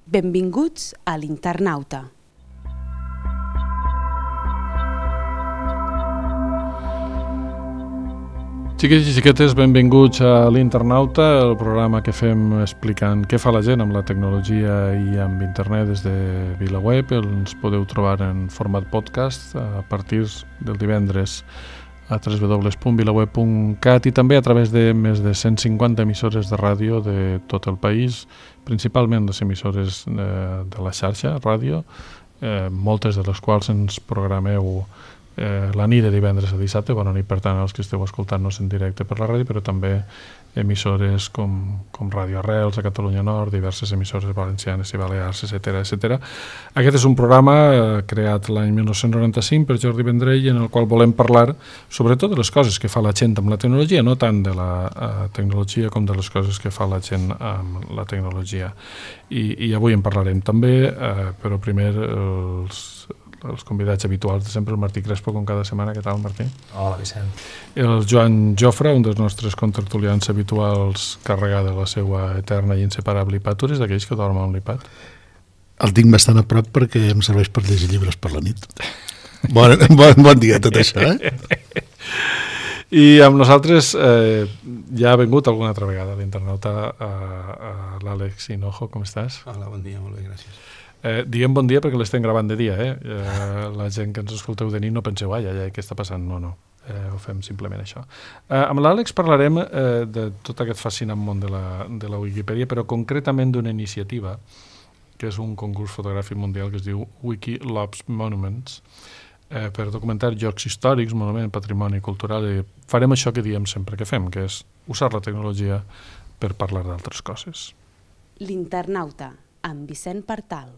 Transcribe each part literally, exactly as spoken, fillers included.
Benvinguts a l'Internauta. Xiquets i xiquetes, benvinguts a l'Internauta, el programa que fem explicant què fa la gent amb la tecnologia i amb internet des de VilaWeb. Ens podeu trobar en format podcast a partir del divendres a w w w punt vilaweb punt cat i també a través de més de cent cinquanta emissores de ràdio de tot el país, principalment les emissores de, de la xarxa ràdio, eh, moltes de les quals ens programeu Eh, la nit de divendres a dissabte. Bona nit, per tant, als que esteu escoltant-nos en directe per la ràdio, però també emissores com, com Ràdio Arrels a Catalunya Nord, diverses emissores valencianes i balears, etcètera, etcètera. Aquest és un programa eh, creat l'any mil nou-cents noranta-cinc per Jordi Vendrell, en el qual volem parlar sobretot de les coses que fa la gent amb la tecnologia, no tant de la eh, tecnologia com de les coses que fa la gent amb la tecnologia. I, i avui en parlarem també, eh, però primer els els convidats habituals de sempre, el Martí Crespo, com cada setmana. Què tal, Martí? Hola, Vicent. El Joan Jofre, un dels nostres contertulians habituals, carregat de la seva eterna i inseparable iPad. Tu eres d'aquells que dormen amb l'iPad? El tinc bastant a prop perquè em serveix per llegir llibres per la nit. Bon, bon, bon dia tot això, eh? I amb nosaltres eh, ja ha vingut alguna altra vegada a l'Internauta a, a l'Àlex Hinojo. Com estàs? Hola, bon dia, molt bé, gràcies. Eh, diguem bon dia perquè l'estem gravant de dia, eh? eh? La gent que ens escolteu de nit no penseu, ai, ai, ai, què està passant? No, no, eh, ho fem simplement això. Eh, amb l'Àlex parlarem eh, de tot aquest fascinant món de la, de la Wikipedia, però concretament d'una iniciativa que és un concurs fotogràfic mundial que es diu Wiki Loves Monuments, eh, per documentar llocs històrics, monuments, patrimoni cultural, i farem això que diem sempre que fem, que és usar la tecnologia per parlar d'altres coses. L'Internauta, amb Vicent Partal.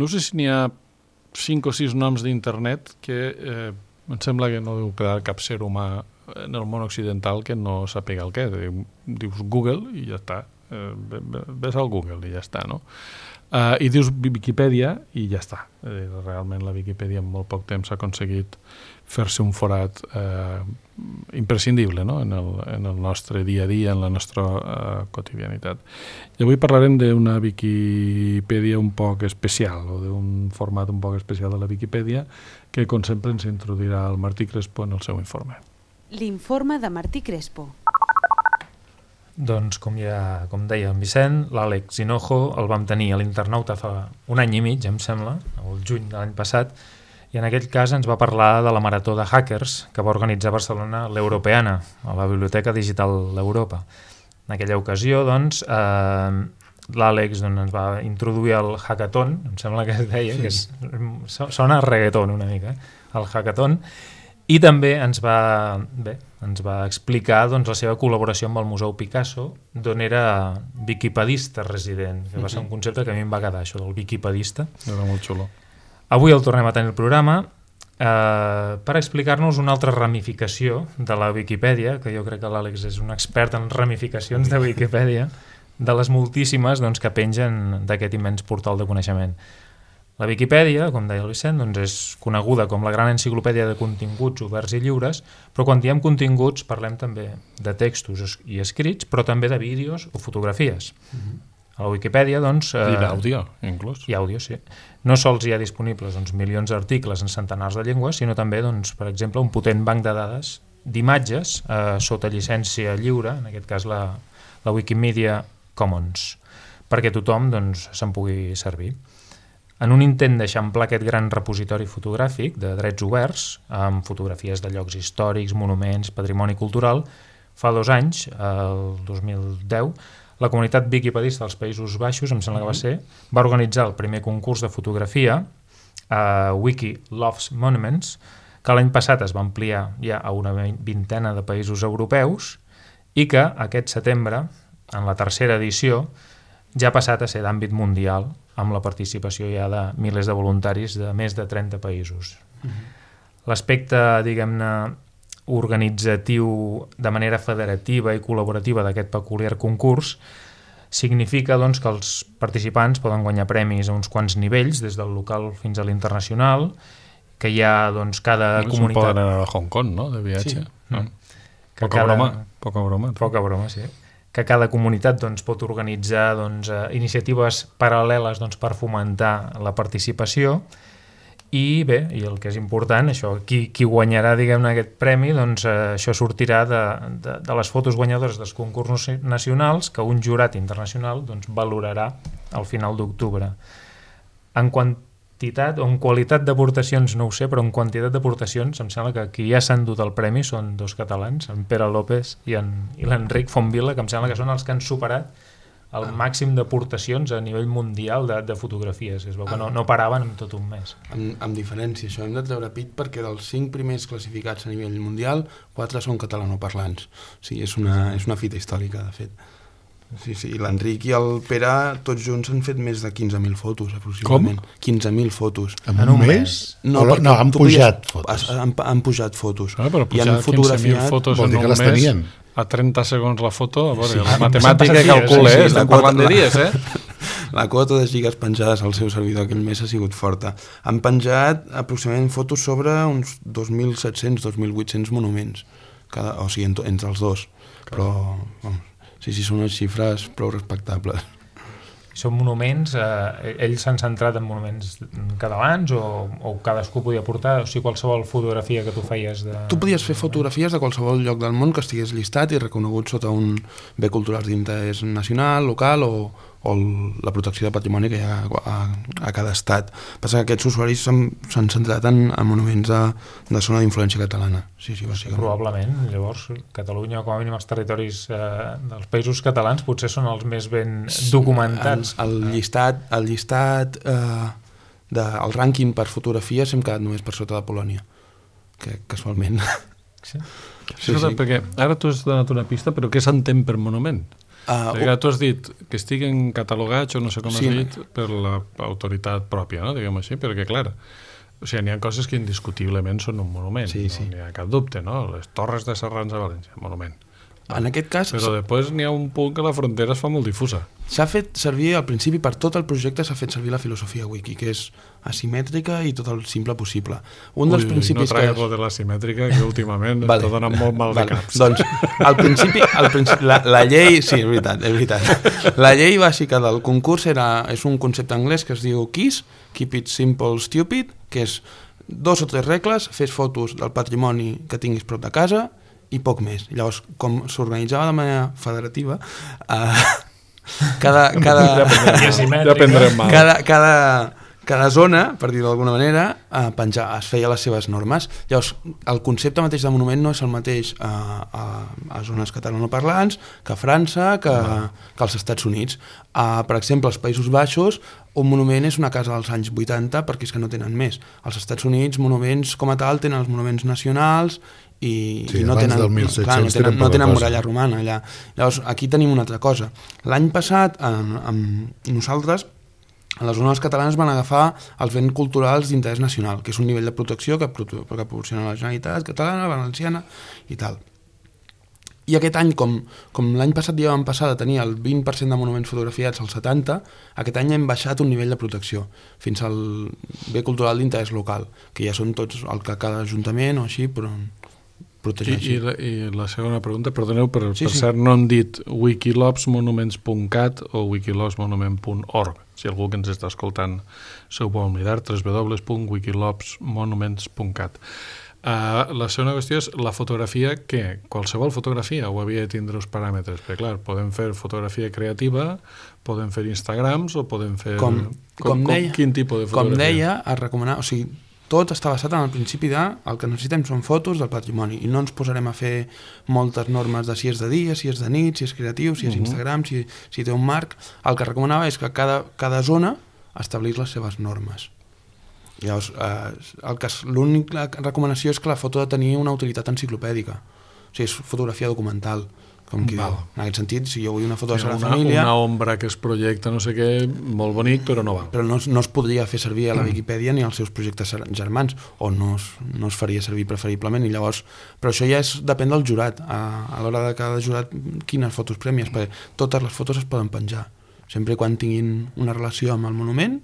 No sé si n'hi ha cinc o sis noms d'internet que eh, em sembla que no deu quedar cap ser humà en el món occidental que no sàpiga el què. Dius Google i ja està. Eh, ves al Google i ja està, no? Uh, I dius Wikipedia i ja està. Eh, realment la Wikipedia en molt poc temps ha aconseguit fer-se un forat eh, imprescindible, no? en, el, en el nostre dia a dia, en la nostra eh, quotidianitat. I avui parlarem d'una Wikipedia un poc especial, o d'un format un poc especial de la Wikipedia, que com sempre ens introduirà el Martí Crespo en el seu informe. L'informe de Martí Crespo. Doncs, com ja com deia en Vicent, l'Àlex Hinojo el vam tenir a l'Internauta fa un any i mig, em sembla, el juny de l'any passat, i en aquell cas ens va parlar de la marató de hackers que va organitzar a Barcelona l'Europeana, a la Biblioteca Digital d'Europa. En aquella ocasió, doncs, eh, l'Àlex doncs, ens va introduir al hackathon, em sembla que es deia, sí. que és, sona a reggaeton una mica, el hackathon, i també ens va, bé, ens va explicar doncs, la seva col·laboració amb el Museu Picasso, d'on era wikipedista resident, que va ser un concepte que a mi em va quedar, això del wikipedista. Era molt xulo. Avui el tornem a tenir el programa eh, per explicar-nos una altra ramificació de la Wikipedia, que jo crec que l'Àlex és un expert en ramificacions de Wikipedia, de les moltíssimes doncs, que pengen d'aquest immens portal de coneixement. La Wikipedia, com deia el Vicent, doncs és coneguda com la gran enciclopèdia de continguts oberts i lliures, però quan diem continguts parlem també de textos i escrits, però també de vídeos o fotografies. Mm-hmm. A la Wikipedia, doncs... Eh, I d'àudio, inclús. I àudio, sí. No sols hi ha disponibles doncs, milions d'articles en centenars de llengües, sinó també, doncs, per exemple, un potent banc de dades d'imatges eh, sota llicència lliure, en aquest cas la, la Wikimedia Commons, perquè tothom doncs, se'n pugui servir. En un intent d'eixamplar aquest gran repositori fotogràfic de drets oberts, amb fotografies de llocs històrics, monuments, patrimoni cultural, fa dos anys, el dos mil deu, la comunitat wikipedista dels Països Baixos, em sembla que va ser, va organitzar el primer concurs de fotografia, a Wiki Loves Monuments, que l'any passat es va ampliar ja a una vintena de països europeus i que aquest setembre, en la tercera edició, ja ha passat a ser d'àmbit mundial, amb la participació ja de milers de voluntaris de més de trenta països. Uh-huh. L'aspecte, diguem-ne, organitzatiu de manera federativa i col·laborativa d'aquest peculiar concurs significa doncs, que els participants poden guanyar premis a uns quants nivells, des del local fins a l'internacional, que hi ha doncs, cada no, comunitat... Poden anar a Hong Kong, no?, de viatge. Sí. No? Que poca, cada... broma, poca broma. Poca broma, sí. Que cada comunitat doncs, pot organitzar doncs, iniciatives paral·leles doncs, per fomentar la participació. I bé, i el que és important, això, qui, qui guanyarà diguem-ne aquest premi, doncs eh, això sortirà de, de, de les fotos guanyadores dels concursos nacionals que un jurat internacional doncs, valorarà al final d'octubre. En quantitat o en qualitat d'aportacions no ho sé, però en quantitat d'aportacions em sembla que qui ja s'han dut el premi són dos catalans, en Pere López i, en, i l'Enric Fontvila, que em sembla que són els que han superat el màxim d'aportacions a nivell mundial de, de fotografies. Es veu que no, no paraven en tot un mes. Amb, amb diferència, això hem de treure pit perquè dels cinc primers classificats a nivell mundial, quatre són catalanoparlants. O sigui, és una, és una fita històrica, de fet. Sí, sí, l'Enric i el Pere tots junts han fet més de quinze mil fotos, aproximadament. Com? quinze mil fotos. En un mes? No, no, no han pujat podies, fotos. Han, han pujat fotos. Ah, però pujar quinze mil fotos vol en dir que un les mes... tenien. A trenta segons la foto, a veure, Sí, la sí, matemàtica sí, calcula, sí, sí, eh? Estem la parlant de quota- dies, eh? La quota de gigas penjades al seu servidor aquell mes ha sigut forta. Han penjat aproximadament fotos sobre uns dos mil set-cents a dos mil vuit-cents monuments, cada, o sigui, ent entre els dos. Però, vamos, sí, sí, són unes xifres prou respectables. Són monuments, eh, ells s'han centrat en monuments catalans o, o cadascú podia portar, o sigui, qualsevol fotografia que tu feies de... Tu podies fer fotografies de qualsevol lloc del món que estigués llistat i reconegut sota un bé cultural d'interès nacional, local o, o la protecció de patrimoni que hi ha a, a cada estat. Passa que aquests usuaris s'han centrat en, en monuments de, de zona d'influència catalana. Sí, sí, bàsicament. Probablement, llavors Catalunya, com a mínim els territoris eh, dels països catalans potser són els més ben documentats. El, el llistat, el llistat eh, de, el rànquing per fotografia s'hem quedat només per sota de Polònia, que casualment. Sí. Sí, sí. Perquè ara tu has donat una pista, però què s'entén per monument? Uh, Perquè tu has dit que estiguen catalogats o no sé com Sí. has dit per l'autoritat pròpia, no? Diguem així, perquè clar, o sigui, n'hi ha coses que indiscutiblement són un monument, Sí, sí. no n'hi ha cap dubte, no? Les Torres de Serrans a València, monument. En aquest cas Però després n'hi ha un punt que la frontera es fa molt difusa. s'ha fet servir, al principi, per tot el projecte s'ha fet servir la filosofia wiki, que és asimètrica i tot el simple possible. Un dels Ui, principis no tragues que... lo de l'asimètrica, que últimament Vale. està donant molt mal de Vale. caps. Doncs, al principi, al principi la, la llei... Sí, és veritat, és veritat. La llei bàsica del concurs era, és un concepte anglès que es diu KISS, Keep It Simple Stupid, que és dos o tres regles, fes fotos del patrimoni que tinguis prop de casa i poc més. Llavors, com s'organitzava de manera federativa, eh, cada, cada, Ja prendrem mal. cada, cada, cada zona, per dir-ho d'alguna manera, eh, penjar, es feia les seves normes. Llavors, el concepte mateix de monument no és el mateix a, a, a zones catalanoparlants que a França, que, que als Estats Units. Uh, per exemple, als Països Baixos, un monument és una casa dels anys vuitanta perquè és que no tenen més. Als Estats Units, monuments com a tal tenen els monuments nacionals i, Sí, i no abans tenen, del mil set-cents clar, no tenen, tenen no poca tenen cosa. muralla romana allà. Llavors, aquí tenim una altra cosa. L'any passat, amb, amb nosaltres, a les zones catalanes van agafar els béns culturals d'interès nacional, que és un nivell de protecció que, que proporciona la Generalitat catalana, valenciana i tal. I aquest any, com, com l'any passat ja vam passar de tenir el vint per cent de monuments fotografiats al setanta, aquest any hem baixat un nivell de protecció fins al bé cultural d'interès local, que ja són tots el que cada ajuntament o així, però I, protegeixi. i, la, I la segona pregunta, perdoneu, per, Sí, per sí. cert, no han dit wikilopsmonuments punt cat o wikilopsmonument punt org. Si algú que ens està escoltant s'ho vol mirar, w w w punt wikilopsmonuments punt cat. Uh, la segona qüestió és la fotografia, què? Qualsevol fotografia o havia de tindre uns paràmetres? Perquè clar, podem fer fotografia creativa, podem fer Instagrams o podem fer... Com, com, deia, quin tipus de com fotografia? deia, es recomana, o sigui, tot està basat en el principi de el que necessitem són fotos del patrimoni i no ens posarem a fer moltes normes de si és de dia, si és de nit, si és creatiu, si és Uh-huh. Instagram, si, si té un marc. El que recomanava és que cada, cada zona establís les seves normes. Llavors, eh, el que és- l'única recomanació és que la foto ha de tenir una utilitat enciclopèdica. O sigui, és fotografia documental. Com qui diu. En aquest sentit, si jo vull una foto de la una, família... Una ombra que es projecta, no sé què, molt bonic, però no val. Però no, no es podria fer servir a la Viquipèdia ni als seus projectes germans, o no es, no es faria servir preferiblement, i llavors... Però això ja és, depèn del jurat, a, a l'hora de cada jurat, quines fotos prèmies, perquè totes les fotos es poden penjar. Sempre quan tinguin una relació amb el monument,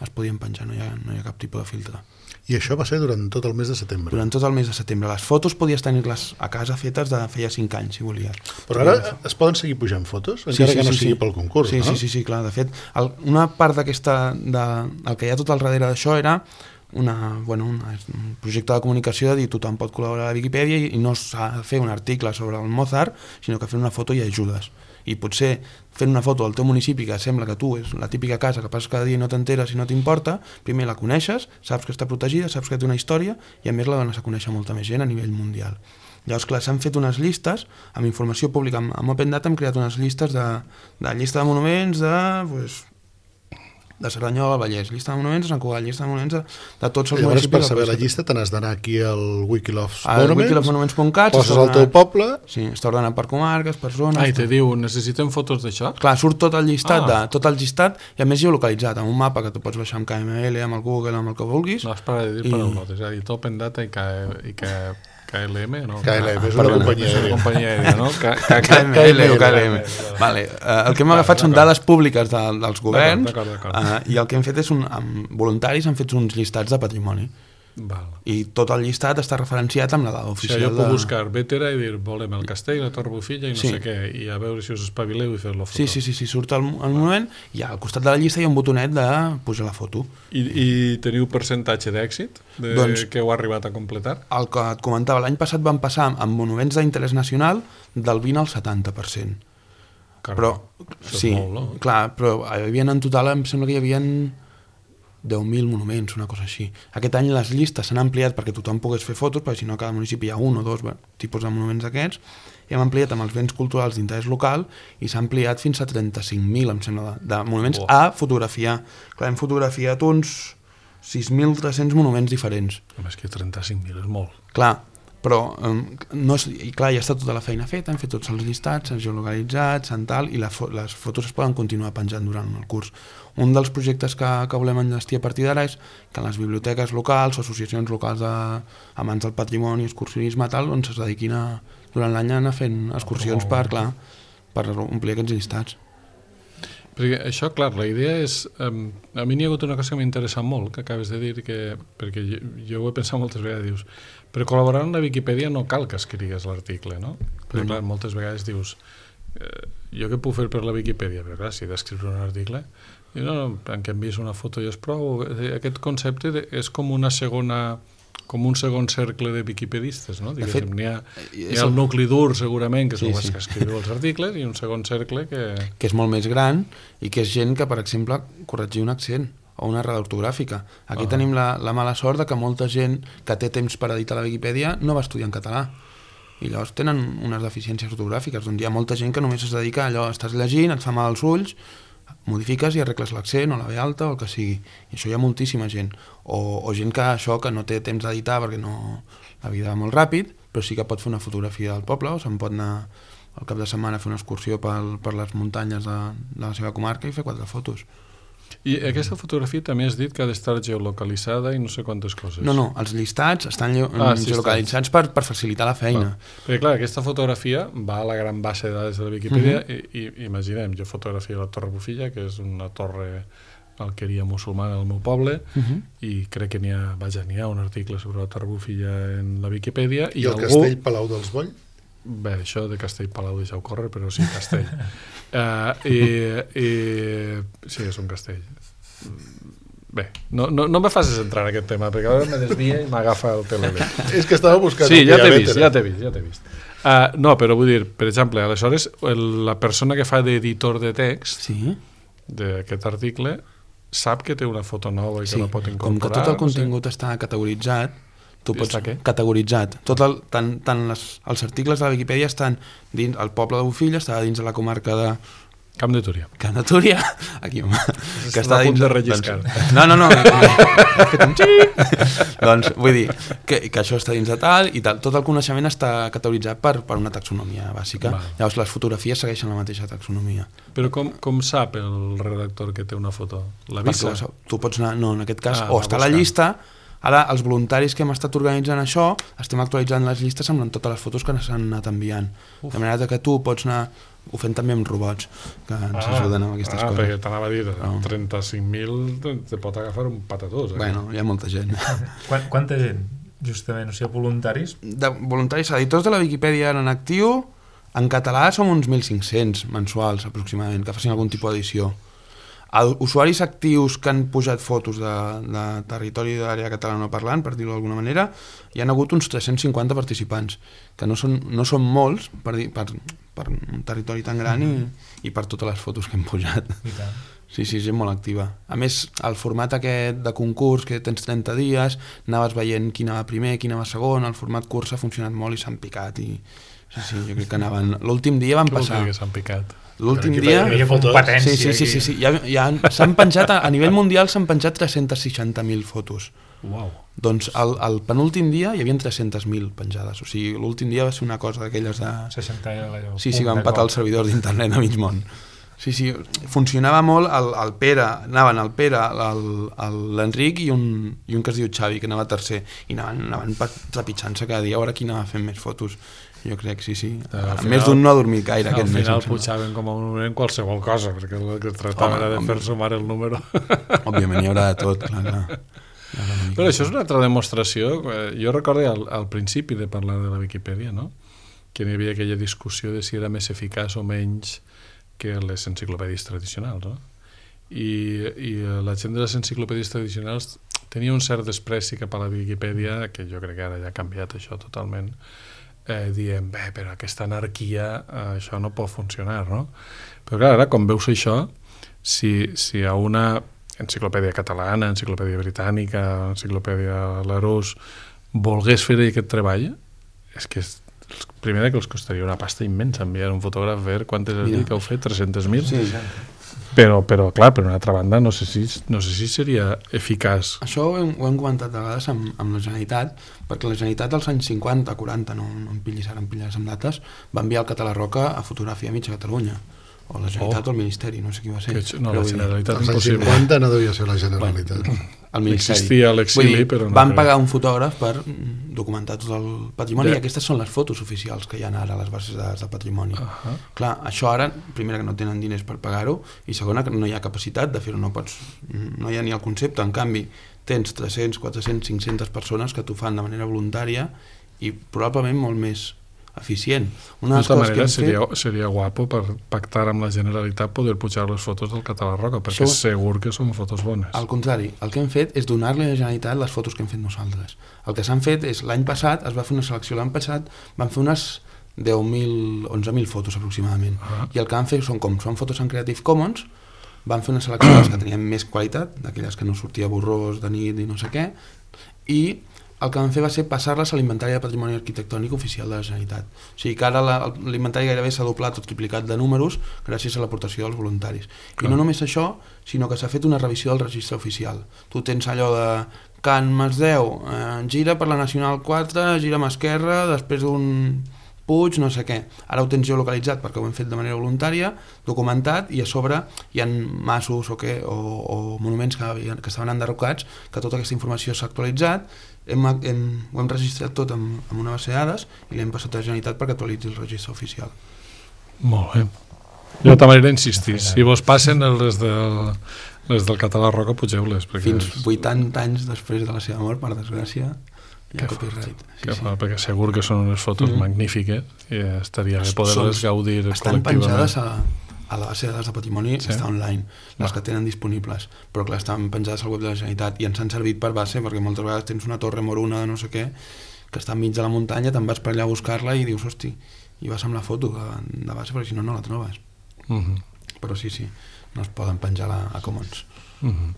es podien penjar, no hi ha, no hi ha cap tipus de filtre. I això va ser durant tot el mes de setembre. Durant tot el mes de setembre. Les fotos podies tenir-les a casa fetes de feia cinc anys, si volies. Però ara es poden seguir pujant fotos? Encara sí, sí, que no sí, sigui sí. pel concurs, sí, no? Sí, sí, sí, clar. De fet, el, una part d'aquesta... De, el que hi ha tot al darrere d'això era una, bueno, una, un projecte de comunicació de dir tothom pot col·laborar a la Viquipèdia i, i no s'ha de fer un article sobre el Mozart, sinó que fer una foto i ajudes. I potser fent una foto del teu municipi que sembla que tu és la típica casa que passes cada dia i no t'enteres i no t'importa, primer la coneixes, saps que està protegida, saps que té una història i a més la dones a conèixer molta més gent a nivell mundial. Llavors, clar, s'han fet unes llistes, amb informació pública, amb, amb Open Data hem creat unes llistes de, de llista de monuments de... Pues, de Cerdanyola al Vallès, llista de monuments de Sant Cugat, llista de monuments de, de tots els llavors, municipis. Per saber la llista te n'has d'anar aquí al Wikiloves Monuments, wikiloves monuments punt cat, poses el teu poble... Sí, està ordenat per comarques, per zones... Ah, i te diu, necessitem fotos d'això? Clar, surt tot el llistat, ah. de, tot el llistat i a més geolocalitzat, amb un mapa que tu pots baixar amb K M L, amb el Google, amb el que vulguis. No, espera de dir I... paraulotes, és a dir, Open Data i que... I que... K L M, no? K L M, és una companyia aèria. companyia aèria, no? K M L o K L M. Vale. Uh, el que hem agafat són dades públiques de, dels governs d'acord, d'acord, d'acord. Uh, i el que hem fet és, un, amb voluntaris han fet uns llistats de patrimoni. Val. I tot el llistat està referenciat amb la dada oficial. O sigui, jo puc de... buscar Bétera i dir, volem el castell, la Torre Bufilla i no sí. sé què, i a veure si us espavileu i fer-lo foto. Sí, sí, sí, sí, surt el, el moment i al costat de la llista hi ha un botonet de pujar la foto. I, i teniu percentatge d'èxit de doncs, que heu arribat a completar? El que et comentava, l'any passat van passar amb monuments d'interès nacional del vint al setanta per cent. Carme, però, això sí, és molt, no? clar, però hi havia en total, em sembla que hi havia deu mil monuments, una cosa així. Aquest any les llistes s'han ampliat perquè tothom pogués fer fotos, perquè si no a cada municipi hi ha un o dos bueno, tipus de monuments d'aquests, i hem ampliat amb els béns culturals d'interès local i s'ha ampliat fins a trenta-cinc mil, em sembla, de, de monuments oh. a fotografiar. Clar, hem fotografiat uns sis mil tres-cents monuments diferents. Home, és que trenta-cinc mil és molt. Clar, però um, no és, i clar, ja està tota la feina feta, hem fet tots els llistats, s'han geolocalitzat, s'han tal, i la fo les fotos es poden continuar penjant durant el curs. Un dels projectes que, que volem enllestir a partir d'ara és que en les biblioteques locals o associacions locals de, amants del patrimoni, excursionisme, tal, doncs es dediquin a, durant l'any a anar fent excursions oh. per, clar, per omplir aquests llistats. Perquè això, clar, la idea és... Um, a mi n'hi ha hagut una cosa que m'interessa molt, que acabes de dir, que, perquè jo, jo ho he pensat moltes vegades, dius, per col·laborar en la Viquipèdia no cal que escrigues l'article, no? Perquè, clar, moltes vegades dius, eh, jo què puc fer per la Viquipèdia? Però, clar, si he d'escriure un article... I no, no, en què envies una foto i és prou. Aquest concepte de, és com una segona... com un segon cercle de viquipedistes, no? Diguéssim, n'hi ha, hi ha el nucli dur, segurament, que són sí, els sí. que escriu els articles, i un segon cercle que... Que és molt més gran i que és gent que, per exemple, corregir un accent o una errada ortogràfica. Aquí uh -huh. tenim la, la mala sort de que molta gent que té temps per editar la Viquipèdia no va estudiar en català. I llavors tenen unes deficiències ortogràfiques, on hi ha molta gent que només es dedica a allò, estàs llegint, et fa mal els ulls, modifiques i arregles l'accent o la ve alta o el que sigui, i això hi ha moltíssima gent o, o gent que això que no té temps d'editar perquè no, la vida va molt ràpid però sí que pot fer una fotografia del poble o se'n pot anar al cap de setmana a fer una excursió per, per les muntanyes de, de la seva comarca i fer quatre fotos. I aquesta fotografia també has dit que ha d'estar geolocalitzada i no sé quantes coses. No, no, els llistats estan ah, sí, geolocalitzats per, per facilitar la feina. Va. Perquè clar, aquesta fotografia va a la gran base de dades de la Viquipèdia uh -huh. i, i imaginem, jo fotografia la Torre Bufilla, que és una torre alqueria musulmana al meu poble, uh -huh. i crec que n'hi ha, vaja, n'hi ha un article sobre la Torre Bufilla en la Viquipèdia. I, I el algú... Castell Palau dels Boll? Bé, això de Castell Palau deixeu córrer, però sí, castell. uh, i, i... Sí, és un castell. Bé, no, no, no me facis entrar en aquest tema, perquè ara me desvia i m'agafa el telele. És que estava buscant... Sí, ja t'he vist, ja t'he vist, ja t'he vist. Uh, no, però vull dir, per exemple, aleshores, el, la persona que fa d'editor de text sí. d'aquest article sap que té una foto nova i sí. que la pot incorporar. Com que tot el contingut no sé. està categoritzat, tu pots què? categoritzat. Tot el, tant tant les, els articles de la Viquipèdia estan dins, el poble de Bufilla està dins de la comarca de, Camp de Túria. Camp de Túria, aquí, home, que està a punt dins... de relliscar. Doncs, no, no, no, he fet un xic. Doncs vull dir que, que això està dins de tal i tal. Tot el coneixement està categoritzat per, per una taxonomia bàsica. Val. Llavors les fotografies segueixen la mateixa taxonomia. Però com, com sap el redactor que té una foto? L'avisa? Perquè tu pots anar, no, en aquest cas, ah, o està a la llista. Ara, els voluntaris que hem estat organitzant això, estem actualitzant les llistes amb totes les fotos que s'han anat enviant. Uf. De manera que tu pots anar... Ho fem també amb robots, que ens ah, ajuden amb aquestes ah, coses. Ah, perquè t'anava a dir, no. trenta-cinc mil te pot agafar un patatós. Eh? Bueno, hi ha molta gent. Quant, quanta gent, justament, o sigui, voluntaris? De voluntaris, editors de la Viquipèdia en actiu, en català som uns mil cinc-cents mensuals, aproximadament, que facin algun tipus d'edició. Usuaris actius que han pujat fotos de, de territori de l'àrea catalanoparlant, per dir-ho d'alguna manera, hi ha hagut uns tres-cents cinquanta participants, que no són, no són molts per, dir, per, per un territori tan gran mm-hmm. i, i per totes les fotos que hem pujat. Sí, sí, gent molt activa. A més, el format aquest de concurs, que tens trenta dies, anaves veient qui anava primer, qui anava segon, el format curs ha funcionat molt i s'han picat. I... Sí, sí, jo crec que anaven... L'últim dia van passar... Què vol dir que s'han picat? L'últim dia... Hi ha competència. Sí, sí, sí, sí, sí. Ja, ja s'han penjat, a, a nivell mundial s'han penjat tres-cents seixanta mil fotos. Uau. Doncs el, el penúltim dia hi havia tres-cents mil penjades. O sigui, l'últim dia va ser una cosa d'aquelles de... seixanta Sí, sí, van patar el servidor d'internet a mig món. Sí, sí, funcionava molt el, el Pere, anaven el Pere, l'Enric i, un, i un que es diu Xavi, que anava tercer, i anaven, anaven trepitjant-se cada dia, a veure qui anava fent més fotos. Jo crec, sí, sí. Al final, més d'un no ha dormit gaire aquest mes. Al final pujaven com a un moment qualsevol cosa, perquè el que tractava era de fer sumar el número. Òbviament hi haurà de tot, clar, clar. Però això és una altra demostració. Jo recordo al, al principi de parlar de la Viquipèdia, no? Que hi havia aquella discussió de si era més eficaç o menys que les enciclopèdies tradicionals, no? I, i la gent de les enciclopèdies tradicionals tenia un cert despreci cap a la Viquipèdia, que jo crec que ara ja ha canviat això totalment, eh, dient, bé, però aquesta anarquia, eh, això no pot funcionar, no? Però clar, ara, com veus això, si, si a una enciclopèdia catalana, enciclopèdia britànica, enciclopèdia Larousse, volgués fer aquest treball, és que és primer que els costaria una pasta immensa enviar un fotògraf a veure quantes has dit que heu fet, tres-cents mil? Sí, però, però clar, per una altra banda no sé si, no sé si seria eficaç. Això ho hem, ho hem comentat a vegades amb, amb la Generalitat, perquè la Generalitat als anys cinquanta, quaranta, no, no em pillis ara, em pilles amb dates, va enviar el Català Roca a fotografiar a mitja Catalunya, o la Generalitat oh. o el Ministeri, no sé qui va ser. Que, no, la Generalitat als anys cinquanta no devia ser la Generalitat. Bueno, el Ministeri. Existia l'exili, però no. Van pagar un fotògraf per documentar tot el patrimoni, de... i aquestes són les fotos oficials que hi ha ara a les bases de dades de patrimoni. Uh -huh. Clar, això ara, primera, que no tenen diners per pagar-ho, i segona, que no hi ha capacitat de fer-ho, no pots, no hi ha ni el concepte. En canvi, tens tres-cents, quatre-cents, cinc-centes persones que t'ho fan de manera voluntària i probablement molt més eficient. Una de tota manera seria, fet... seria guapo per pactar amb la Generalitat poder pujar les fotos del Català Roca, perquè Això... segur que són fotos bones. Al contrari, el que hem fet és donar-li a la Generalitat les fotos que hem fet nosaltres. El que s'han fet és, l'any passat es va fer una selecció, l'any passat van fer unes deu mil, onze mil fotos aproximadament, uh-huh. i el que han fet són, com són fotos en Creative Commons, van fer una selecció de les que tenien més qualitat, d'aquelles que no sortia borrós de nit i no sé què, i el que van fer va ser passar-les a l'Inventari de Patrimoni Arquitectònic oficial de la Generalitat. O sigui que ara l'Inventari gairebé s'ha doblat o triplicat de números gràcies a l'aportació dels voluntaris. Clar. I no només això, sinó que s'ha fet una revisió del registre oficial. Tu tens allò de Can Masdeu, eh, gira per la Nacional quatre, gira a mà esquerra, després d'un Puig, no sé què. Ara ho tens geolocalitzat perquè ho hem fet de manera voluntària, documentat, i a sobre hi ha masos o, què, o, o monuments que, que estaven enderrocats, que tota aquesta informació s'ha actualitzat, hem, hem, ho hem registrat tot amb, amb una base de dades i l'hem passat a la Generalitat perquè actualitzi el registre oficial. Molt bé. Jo de manera insistir, si vos passen les del, les del Català Roca, pugeu-les. Fins és... vuitanta anys després de la seva mort, per desgràcia, hi ha copyright. Sí, sí. Perquè segur que són unes fotos mm-hmm. magnífiques i estaria bé poder-les gaudir estan penjades a, a la base de dades de patrimoni, sí? Està online, les ah. que tenen disponibles, però clar, estan penjades al web de la Generalitat i ens han servit per base, perquè moltes vegades tens una torre moruna de no sé què, que està enmig de la muntanya, te'n vas per allà a buscar-la i dius, hosti, i vas amb la foto de, de base, perquè si no, no la trobes. Mm-hmm. Però sí, sí, no es poden penjar a, a Commons. Mm-hmm.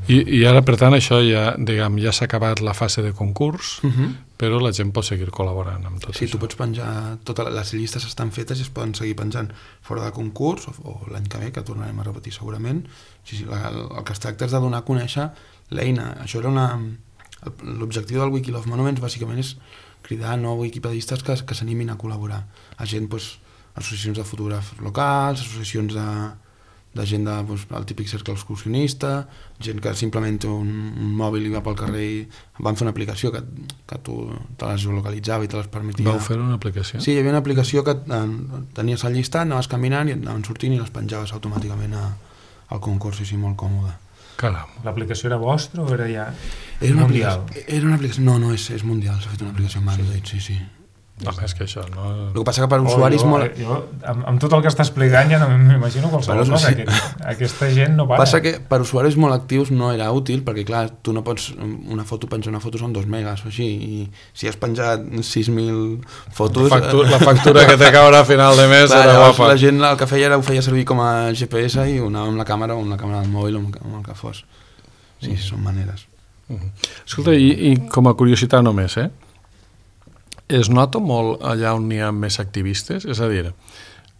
I, i ara, per tant, això ja, diguem, ja s'ha acabat la fase de concurs, uh -huh. però la gent pot seguir col·laborant amb tot sí, això. tu pots penjar, totes les llistes estan fetes i es poden seguir penjant fora de concurs, o, o l'any que ve, que tornarem a repetir segurament. Sí, sí, la, el, el que es tracta és de donar a conèixer l'eina. Això era una... L'objectiu del Wiki Love Monuments bàsicament és cridar nous wikipedistes que, que s'animin a col·laborar. A gent, doncs, associacions de fotògrafs locals, associacions de, de gent de, doncs, el típic cercle excursionista, gent que simplement té un, un mòbil i va pel carrer i van fer una aplicació que, que tu te les geolocalitzava i te les permetia. Vau fer una aplicació? Sí, hi havia una aplicació que eh, tenies el llistat, anaves caminant i anaven sortint i les penjaves automàticament a, al concurs, i sí, molt còmode. Caram. L'aplicació era vostra o era ja era una mundial? Era una aplicació... No, no, és, és mundial, s'ha fet una aplicació amb Android, sí, sí. No, és que això no... El que passa que per usuaris oh, jo, molt... Jo, amb, amb tot el que està explicant ja no m'imagino qualsevol cosa. Sí. Aquest, aquesta gent no para. Passa que per usuaris molt actius no era útil, perquè clar, tu no pots... Una foto, penjar una foto són dos megas o així, i si has penjat sis mil fotos... La factura, la factura que te caurà a final de mes clar, era guapa. La gent el que feia era ho feia servir com a G P S i ho anava amb la càmera o amb la càmera del mòbil o amb, amb el que fos. Sí, mm. són maneres. Mm. Escolta, i, i com a curiositat només, eh? Es nota molt allà on hi ha més activistes? És a dir,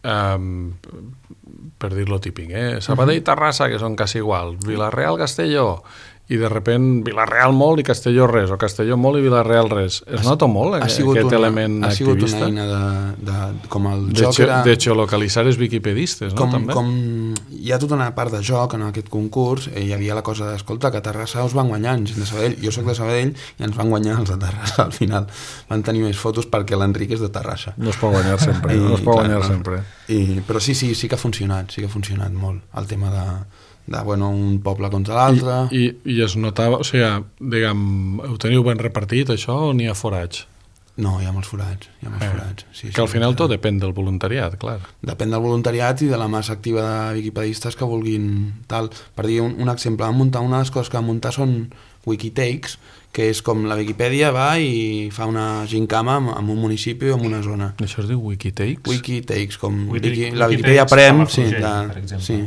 um, per dir-lo típic, eh? Sabadell i Terrassa, que són quasi igual, Vila-real, Castelló, i de repent Vila-real molt i Castelló res, o Castelló molt i Vila-real res. Es nota molt eh, aquest una, element ha activista? Ha sigut una eina de, de, com el de joc ge, era... De geolocalitzar els wikipedistes, no? Com, També? com hi ha tota una part de joc en aquest concurs, eh, hi havia la cosa d'escolta, que a Terrassa us van guanyar gent de Sabadell, jo sóc de Sabadell i ens van guanyar els de Terrassa al final. Van tenir més fotos perquè l'Enric és de Terrassa. No es pot guanyar sempre, I, no es pot clar, guanyar sempre. I, però sí, sí, sí que ha funcionat, sí que ha funcionat molt el tema de... de, bueno, un poble contra l'altre... I, i, I es notava, o sigui, diguem, ho teniu ben repartit, això, o n'hi ha forats? No, hi ha molts forats, hi ha molts eh, forats. Sí, que sí, al final sí. tot depèn del voluntariat, clar. Depèn del voluntariat i de la massa activa de wikipedistes que vulguin tal. Per dir un, un exemple, vam muntar, una de les coses que vam muntar són Wikitakes, que és com la Wikipedia va i fa una gincama en, en un municipi o en una zona. Això es diu Wikitakes? Wikitakes, com Wiki, Wiki, la Wikipedia Prem, sí, de, sí.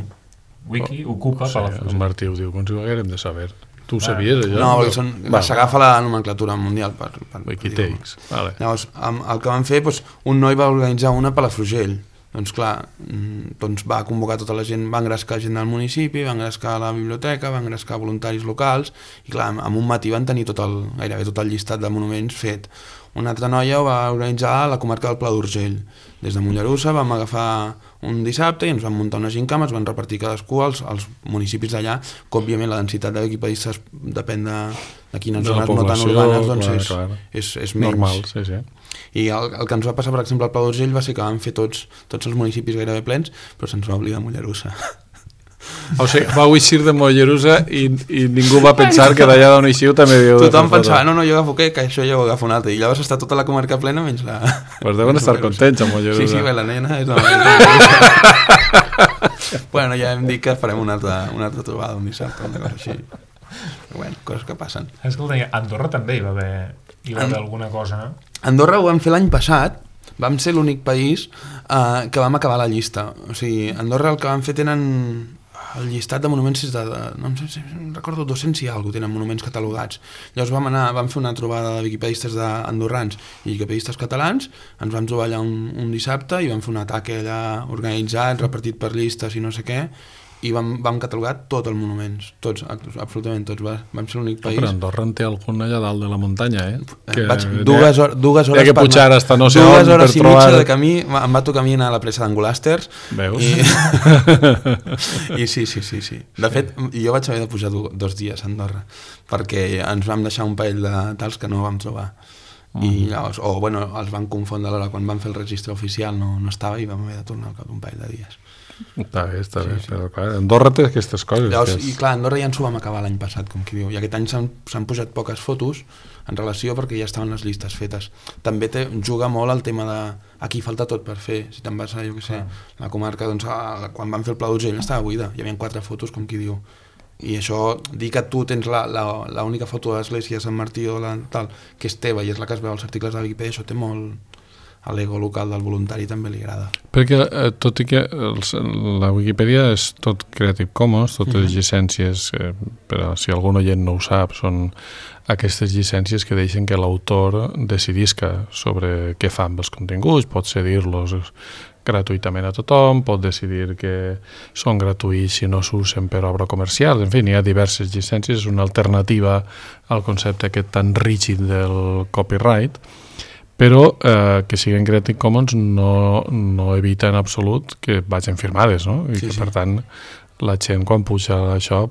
Wiki ocupa o sigui, Palafrugell. En Martí ho diu, com si ho haguérem de saber. Tu ho sabies, allò? No, perquè són, s'agafa la nomenclatura mundial per, per, Wikitakes, per vale. Llavors, el que van fer, doncs, un noi va organitzar una a Palafrugell. Doncs clar, doncs va convocar tota la gent, va engrescar gent del municipi, va engrescar la biblioteca, va engrescar voluntaris locals, i clar, en un matí van tenir tot el, gairebé tot el llistat de monuments fet. Una altra noia ho va organitzar a la comarca del Pla d'Urgell. Des de Mollerussa vam agafar un dissabte i ens van muntar una gincama, es van repartir cadascú als, als municipis d'allà, que òbviament la densitat de wikipedistes depèn de, de quines zones no tan urbanes, doncs clar, és, clar. és, és menys. Normal, sí, sí. I el, el que ens va passar, per exemple, al Pla d'Urgell va ser que vam fer tots, tots els municipis gairebé plens, però se'ns va oblidar Mollerussa. O sigui, vau eixir de Mollerussa i, i ningú va pensar que d'allà d'on eixiu també havíeu de fer Tothom pensava, no, no, jo agafo què, que això jo ho agafo un altre. I llavors està tota la comarca plena menys la... Pues deuen estar contents amb Mollerussa. Sí, sí, bé, la nena és la Mollerussa. Bueno, ja hem dit que farem una altra, una altra trobada un dissabte, una cosa així. Però bueno, coses que passen. Escolta, a Andorra també hi va haver, hi va haver alguna cosa, no? Andorra ho vam fer l'any passat, vam ser l'únic país eh, que vam acabar la llista. O sigui, Andorra el que vam fer tenen... El llistat de monuments és de, de no sé si recordo dos-cents i alguna cosa, tenen monuments catalogats. Llavors vam anar, vam fer una trobada de wikipedistes andorrans i wikipedistes catalans, ens vam trobar allà un, un dissabte i vam fer un ataque allà organitzat, repartit per llistes i no sé què, i vam, vam catalogar tots els monuments, tots, absolutament tots, va, vam ser l'únic país. Però Andorra en té algun allà dalt de la muntanya, eh? Que Vaig dues, or, dues hores... Hi ha que pujar hasta no sé on dues hores per i trobar... mitja de camí, em va tocar a mi anar a la presa d'Angolàsters. Veus? I... I sí, sí, sí, sí. De fet, jo vaig haver de pujar dos dies a Andorra, perquè ens vam deixar un parell de tals que no vam trobar. Mm. I llavors, o bueno, els van confondre a l'hora quan van fer el registre oficial, no, no estava i vam haver de tornar al cap d'un parell de dies. Està bé, està sí, bé, sí. Però clar, Andorra té aquestes coses. Llavors, és... I clar, Andorra ja ens ho vam acabar l'any passat, com qui diu, i aquest any s'han pujat poques fotos en relació perquè ja estaven les llistes fetes. També te, juga molt el tema de aquí falta tot per fer, si te'n vas a, jo què sé, la comarca, doncs a, quan van fer el Pla d'Urgell estava buida, hi havia quatre fotos, com qui diu, i això, dir que tu tens l'única foto de l'església de Sant Martí o la, tal, que és teva i és la que es veu als articles de Wikipedia, això té molt... a l'ego local del voluntari també li agrada. Perquè, eh, tot i que els, la Wikipedia és tot Creative Commons, totes les llicències, eh, però si algun oient no ho sap, són aquestes llicències que deixen que l'autor decidisca sobre què fa amb els continguts, pot cedir-los gratuïtament a tothom, pot decidir que són gratuïts si no s'usen per obra comercial, en fi, hi ha diverses llicències, és una alternativa al concepte aquest tan rígid del copyright, però eh, que siguin Creative Commons no, no evita en absolut que vagin firmades, no? I sí, que sí. per tant la gent quan puja això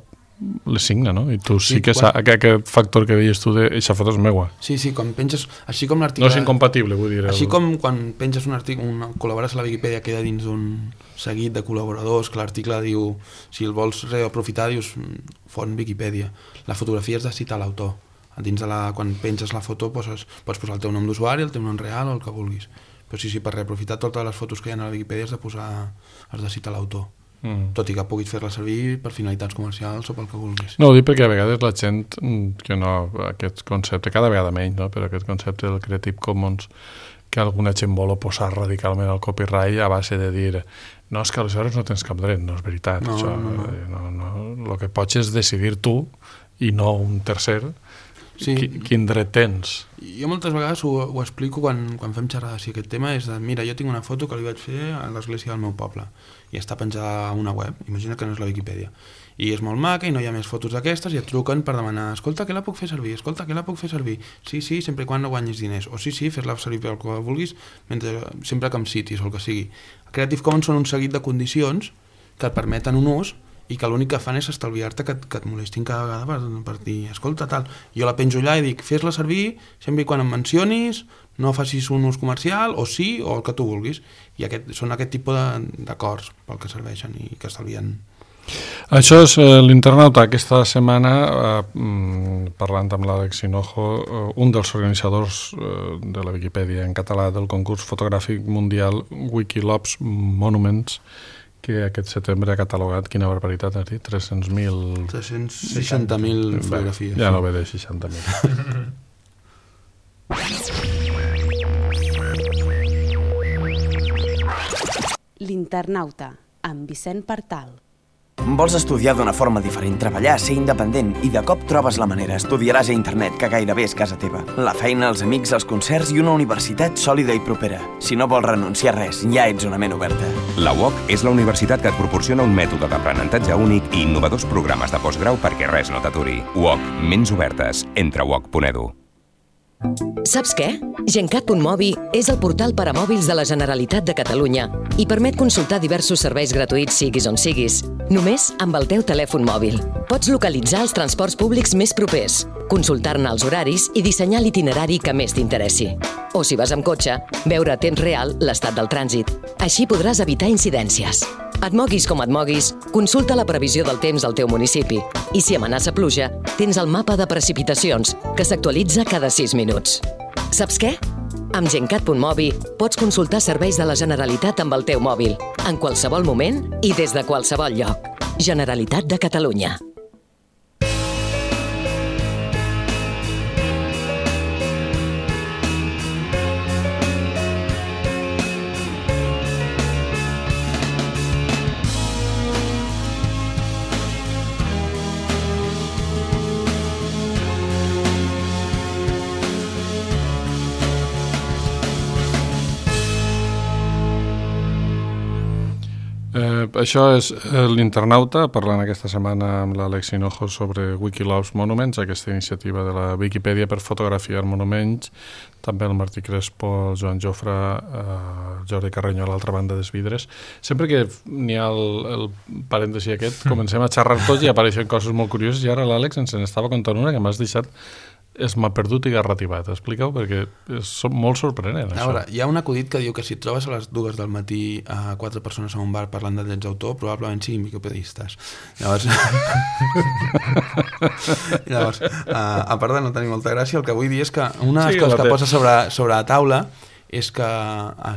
les signa, no? I tu sí, Sí, que quan- saps, aquest factor que deies tu de eixa foto és meua. Sí, sí, quan penges, així com l'article... No és incompatible, vull dir. Així el- com quan penges un article, un, col·labores a la Viquipèdia, queda dins d'un seguit de col·laboradors, que l'article diu, si el vols reaprofitar, dius font Viquipèdia. La fotografia has de citar l'autor. Dins de la, quan penges la foto poses, pots posar el teu nom d'usuari, el teu nom real o el que vulguis. Però sí, sí, per reaprofitar totes les fotos que hi ha a la Viquipèdia has de posar, has de citar l'autor. Mm. Tot i que puguis fer-la servir per finalitats comercials o pel que vulguis. No, ho dic perquè a vegades la gent mm, que no, aquest concepte, cada vegada menys, no? Però aquest concepte del Creative Commons que alguna gent vol oposar radicalment al copyright a base de dir no, és que aleshores no tens cap dret, no és veritat. No, això, no, no. eh, no, no. El que pots és decidir tu i no un tercer Sí. qui, quin dret tens. Jo moltes vegades ho, ho explico quan, quan fem xerrades, i aquest tema és de, mira, jo tinc una foto que li vaig fer a l'església del meu poble i està penjada a una web, imagina que no és la Viquipèdia, i és molt maca i no hi ha més fotos d'aquestes i et truquen per demanar, escolta, què la puc fer servir? Escolta, què la puc fer servir? Sí, sí, sempre i quan no guanyis diners, o sí, sí, fes-la servir pel que vulguis, mentre, sempre que em citis o el que sigui. Creative Commons són un seguit de condicions que et permeten un ús i que l'únic que fan és estalviar-te que, et- que et molestin cada vegada per, per dir, escolta, tal, jo la penjo allà i dic, fes-la servir sempre i quan em mencionis, no facis un ús comercial, o sí, o el que tu vulguis. I aquest, són aquest tipus de- d'acords pel que serveixen i que estalvien. Això és eh, l'internauta. Aquesta setmana, eh, mm, parlant amb l'Àlex Hinojo, eh, un dels organitzadors eh, de la Viquipèdia en català del concurs fotogràfic mundial Wikilobs Monuments, que aquest setembre ha catalogat, quina barbaritat has dit, tres-cents mil... tres-cents seixanta mil fotografies. Ja no ve de seixanta mil. L'internauta, amb Vicent Partal. Vols estudiar d'una forma diferent, treballar, ser independent i de cop trobes la manera. Estudiaràs a internet, que gairebé és casa teva. La feina, els amics, els concerts i una universitat sòlida i propera. Si no vols renunciar a res, ja ets una ment oberta. La U O C és la universitat que et proporciona un mètode d'aprenentatge únic i innovadors programes de postgrau perquè res no t'aturi. U O C, ments obertes. Entra a u o c punt e d u. Saps què? Gencat punt mobi és el portal per a mòbils de la Generalitat de Catalunya i permet consultar diversos serveis gratuïts siguis on siguis, només amb el teu telèfon mòbil. Pots localitzar els transports públics més propers, consultar-ne els horaris i dissenyar l'itinerari que més t'interessi. O si vas amb cotxe, veure a temps real l'estat del trànsit. Així podràs evitar incidències. Et moguis com et moguis, consulta la previsió del temps al teu municipi. I si amenaça pluja, tens el mapa de precipitacions, que s'actualitza cada sis minuts. Saps què? Amb Gencat punt mobi pots consultar serveis de la Generalitat amb el teu mòbil, en qualsevol moment i des de qualsevol lloc. Generalitat de Catalunya. Eh, això és eh, l'internauta, parlant aquesta setmana amb l'Àlex Hinojo sobre Wikilobs Monuments, aquesta iniciativa de la Viquipèdia per fotografiar monuments, també el Martí Crespo, el Joan Jofre, eh, Jordi Carreño a l'altra banda dels vidres. Sempre que n'hi ha el, el parèntesi aquest, comencem a xerrar tots i apareixen coses molt curioses, i ara l'Àlex ens n'estava contant una que m'has deixat es m'ha perdut i garrativat. Explica-ho, perquè és molt sorprenent, A això. veure, hi ha un acudit que diu que si et trobes a les dues del matí a quatre persones a un bar parlant de drets d'autor, probablement siguin wikipedistes. Llavors, Llavors a, a part de no tenir molta gràcia, el que vull dir és que una de les Sí, coses la que té. posa sobre, sobre la taula és que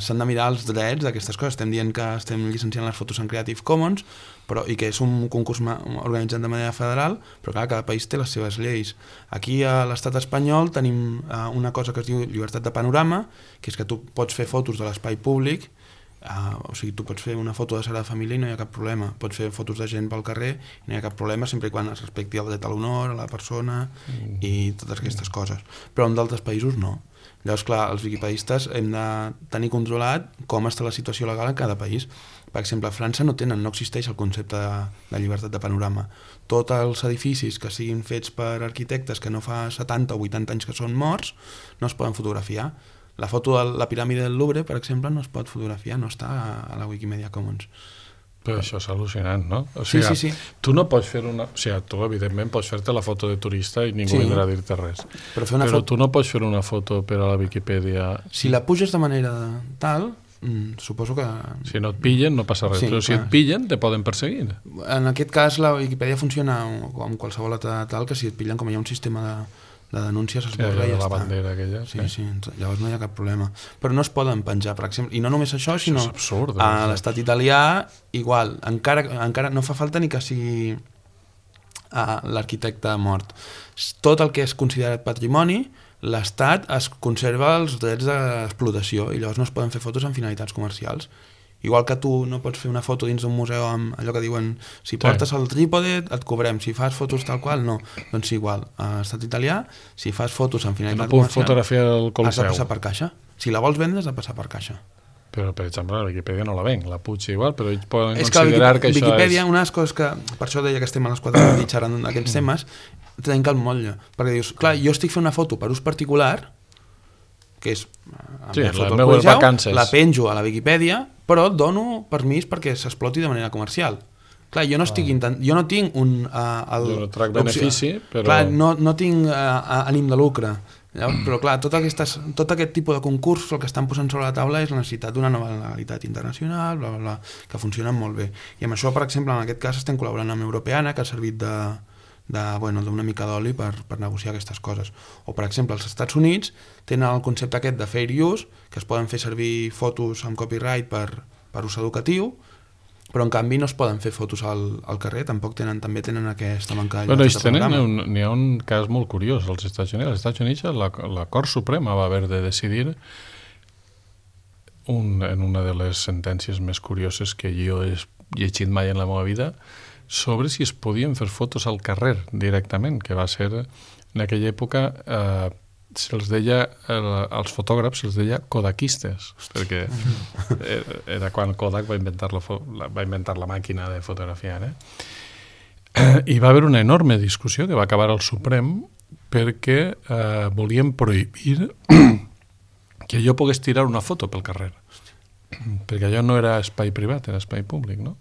s'han de mirar els drets d'aquestes coses. Estem dient que estem llicenciant les fotos en Creative Commons, però, i que és un concurs organitzat de manera federal, però clar, cada país té les seves lleis. Aquí a l'estat espanyol tenim una cosa que es diu llibertat de panorama, que és que tu pots fer fotos de l'espai públic. Uh, o sigui, tu pots fer una foto de Sagrada Família i no hi ha cap problema, pots fer fotos de gent pel carrer i no hi ha cap problema, sempre i quan es respecti el dret a l'honor, a la persona mm. i totes aquestes coses, però en d'altres països no. Llavors, clar, els wikipedistes hem de tenir controlat com està la situació legal en cada país. Per exemple, a França no tenen, no existeix el concepte de, de llibertat de panorama. Tots els edificis que siguin fets per arquitectes que no fa setanta o vuitanta anys que són morts no es poden fotografiar. La foto de la piràmide del Louvre, per exemple, no es pot fotografiar, no està a la Wikimedia Commons. Però això és al·lucinant, no? O sigui, sí, sí, sí. Tu no pots fer una... O sigui, tu, evidentment, pots fer-te la foto de turista i ningú sí. vindrà a dir-te res. Però, fer una Però foto... tu no pots fer una foto per a la Viquipèdia... Si la puges de manera tal, mm, suposo que... Si no et pillen, no passa res. Sí, però si clar. et pillen, te poden perseguir. En aquest cas, la Wikipedia funciona com qualsevol altra tal, que si et pillen, com hi ha un sistema de... de denúncies es borra sí, i ja la està. bandera aquella, sí, sí. sí, llavors no hi ha cap problema. Però no es poden penjar, per exemple, i no només això, sinó això és absurd, a l'estat italià, igual, encara, encara no fa falta ni que sigui uh, l'arquitecte mort. Tot el que és considerat patrimoni, l'estat es conserva els drets d'explotació i llavors no es poden fer fotos amb finalitats comercials. Igual que tu no pots fer una foto dins d'un museu amb allò que diuen si portes sí. el trípode et cobrem, si fas fotos tal qual, no. Doncs igual, a l'estat italià, si fas fotos amb finalitat no puc comercial, fotografiar el Coliseu. Has de passar per caixa. Si la vols vendre, has de passar per caixa. Però, per exemple, la Viquipèdia no la venc, la puig igual, però ells poden és considerar que, que, que Viquipèdia, això és... una de les coses que, per això deia que estem a les quatre de la nit d'aquests temes, trenca el motlle. Perquè dius, clar, jo estic fent una foto per ús particular, que és sí, la foto del Coliseu, la penjo a la Viquipèdia, però et dono permís perquè s'exploti de manera comercial. Clar, jo no estic intent... jo no tinc un... Uh, el... Jo no trac benefici, però... Clar, no, no tinc uh, ànim de lucre. Llavors, però clar, tot, aquestes, tot aquest tipus de concurs el que estan posant sobre la taula és la necessitat d'una nova legalitat internacional, bla, bla, bla, que funcionen molt bé. I amb això, per exemple, en aquest cas estem col·laborant amb Europeana, que ha servit de... de, bueno, d'una mica d'oli per, per negociar aquestes coses. O, per exemple, els Estats Units tenen el concepte aquest de fair use, que es poden fer servir fotos amb copyright per, per ús educatiu, però en canvi no es poden fer fotos al, al carrer, tampoc tenen, també tenen aquesta manca de llibertat de panorama. N'hi ha un cas molt curiós als Estats Units. Als Estats Units la, la Cort Suprema va haver de decidir un, en una de les sentències més curioses que jo he llegit mai en la meva vida, sobre si es podien fer fotos al carrer directament, que va ser en aquella època eh, se'ls deia, eh, als fotògrafs se'ls deia kodakistes, perquè era, era quan Kodak va inventar la, la, va inventar la màquina de fotografiar. Eh? I va haver una enorme discussió que va acabar al Suprem perquè eh, volien prohibir que jo pogués tirar una foto pel carrer, perquè allò no era espai privat, era espai públic, no?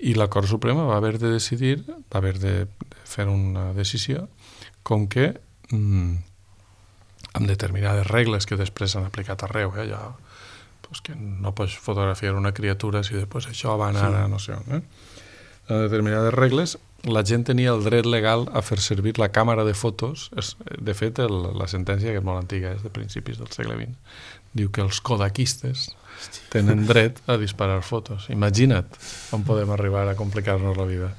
I la Cort Suprema va haver de decidir, va haver de, de fer una decisió com que mmm, amb determinades regles que després s'han aplicat arreu, eh, ja, pues que no pots fotografiar una criatura si després això va anar sí. a no sé on. Eh? Amb determinades regles, la gent tenia el dret legal a fer servir la càmera de fotos. És, de fet, el, la sentència, que és molt antiga, és de principis del segle vint, diu que els kodakistes tenen dret a disparar fotos. Imagina't on podem arribar a complicar-nos la vida.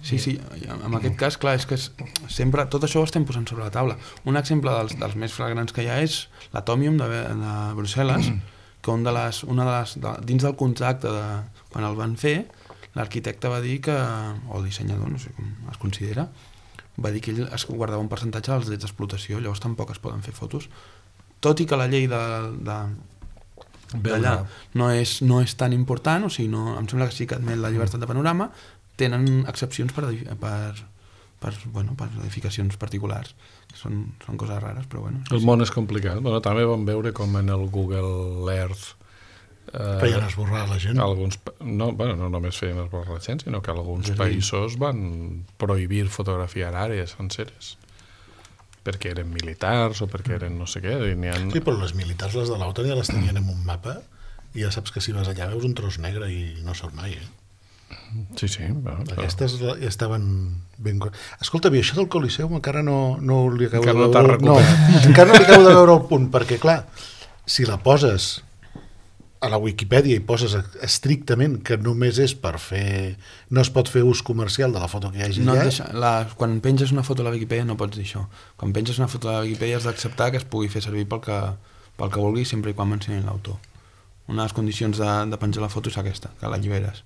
Sí, sí, en aquest cas, clar, és que és, sempre tot això ho estem posant sobre la taula. Un exemple dels, dels més flagrants que hi ha és l'Atomium de, de Brussel·les, que un de les, una de les, de, dins del contracte de, quan el van fer, l'arquitecte va dir que, o el dissenyador, no sé com es considera, va dir que ell es guardava un percentatge dels drets d'explotació, llavors tampoc es poden fer fotos. Tot i que la llei de, de, d'allà no és, no és tan important, o sigui, no, em sembla que sí que admet la llibertat de panorama, tenen excepcions per, per, per, bueno, per edificacions particulars, que són, són coses rares, però bueno. El món és complicat. Bueno, també vam veure com en el Google Earth eh, feien esborrar la gent. Alguns, no, bueno, no només feien esborrar la gent, sinó que alguns sí. països van prohibir fotografiar àrees senceres perquè eren militars o perquè eren no sé què. Ha... Sí, però les militars, les de l'OTAN, ja les tenien en un mapa i ja saps que si vas allà veus un tros negre i no surt mai, eh? Sí, sí. Bueno, aquestes però... ja estaven ben... Escolta, bé, això del Coliseu encara no, no li acabo encara de veure... No, no, encara no li acabo de veure el punt, perquè, clar, si la poses a la Wikipedia i poses estrictament que només és per fer... no es pot fer ús comercial de la foto que hi hagi no allà... deixa, la, quan penges una foto a la Wikipedia no pots dir això. Quan penges una foto a la Wikipedia has d'acceptar que es pugui fer servir pel que, pel que vulgui sempre i quan mencionin l'autor. Una de les condicions de, de penjar la foto és aquesta, que l'alliberes.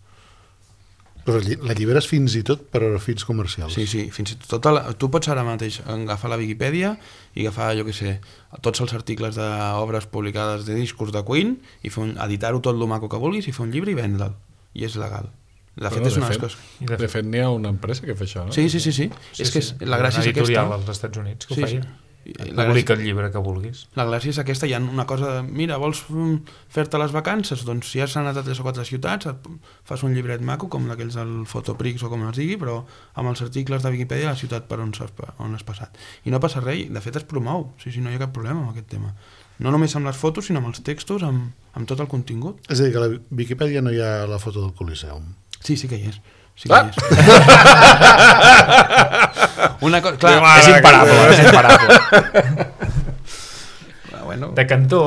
Però l'alliberes fins i tot per a fins comercials. Sí, sí, fins i tot la, tu pots ara mateix agafar la Wikipedia i agafar, jo què sé, tots els articles d'obres publicades de discos de Queen i fer un, editar-ho tot lo maco que vulguis i fer un llibre i vendre'l. I és legal. De fet, bueno, és una de de fet, coses... De fet, n'hi ha una empresa que fa això, no? Sí, sí, sí. sí. sí és que sí. la gràcia és aquesta... Una editorial als Estats Units que sí, ho feia. Sí. La Publica el llibre que vulguis. La gràcia és aquesta, hi ha una cosa de, mira, vols fer-te les vacances? Doncs si has anat a tres o quatre ciutats, fas un llibret maco, com d'aquells del Fotoprix o com es digui, però amb els articles de Wikipedia a la ciutat per on has, on has passat. I no passa res, de fet es promou, sí, sí, no hi ha cap problema amb aquest tema. No només amb les fotos, sinó amb els textos, amb, amb tot el contingut. És a dir, que a la Wikipedia no hi ha la foto del Coliseum. Sí, sí que hi és. Sí que ah! hi és. Una cosa, clar, és imparable, és imparable. Bueno. De cantó.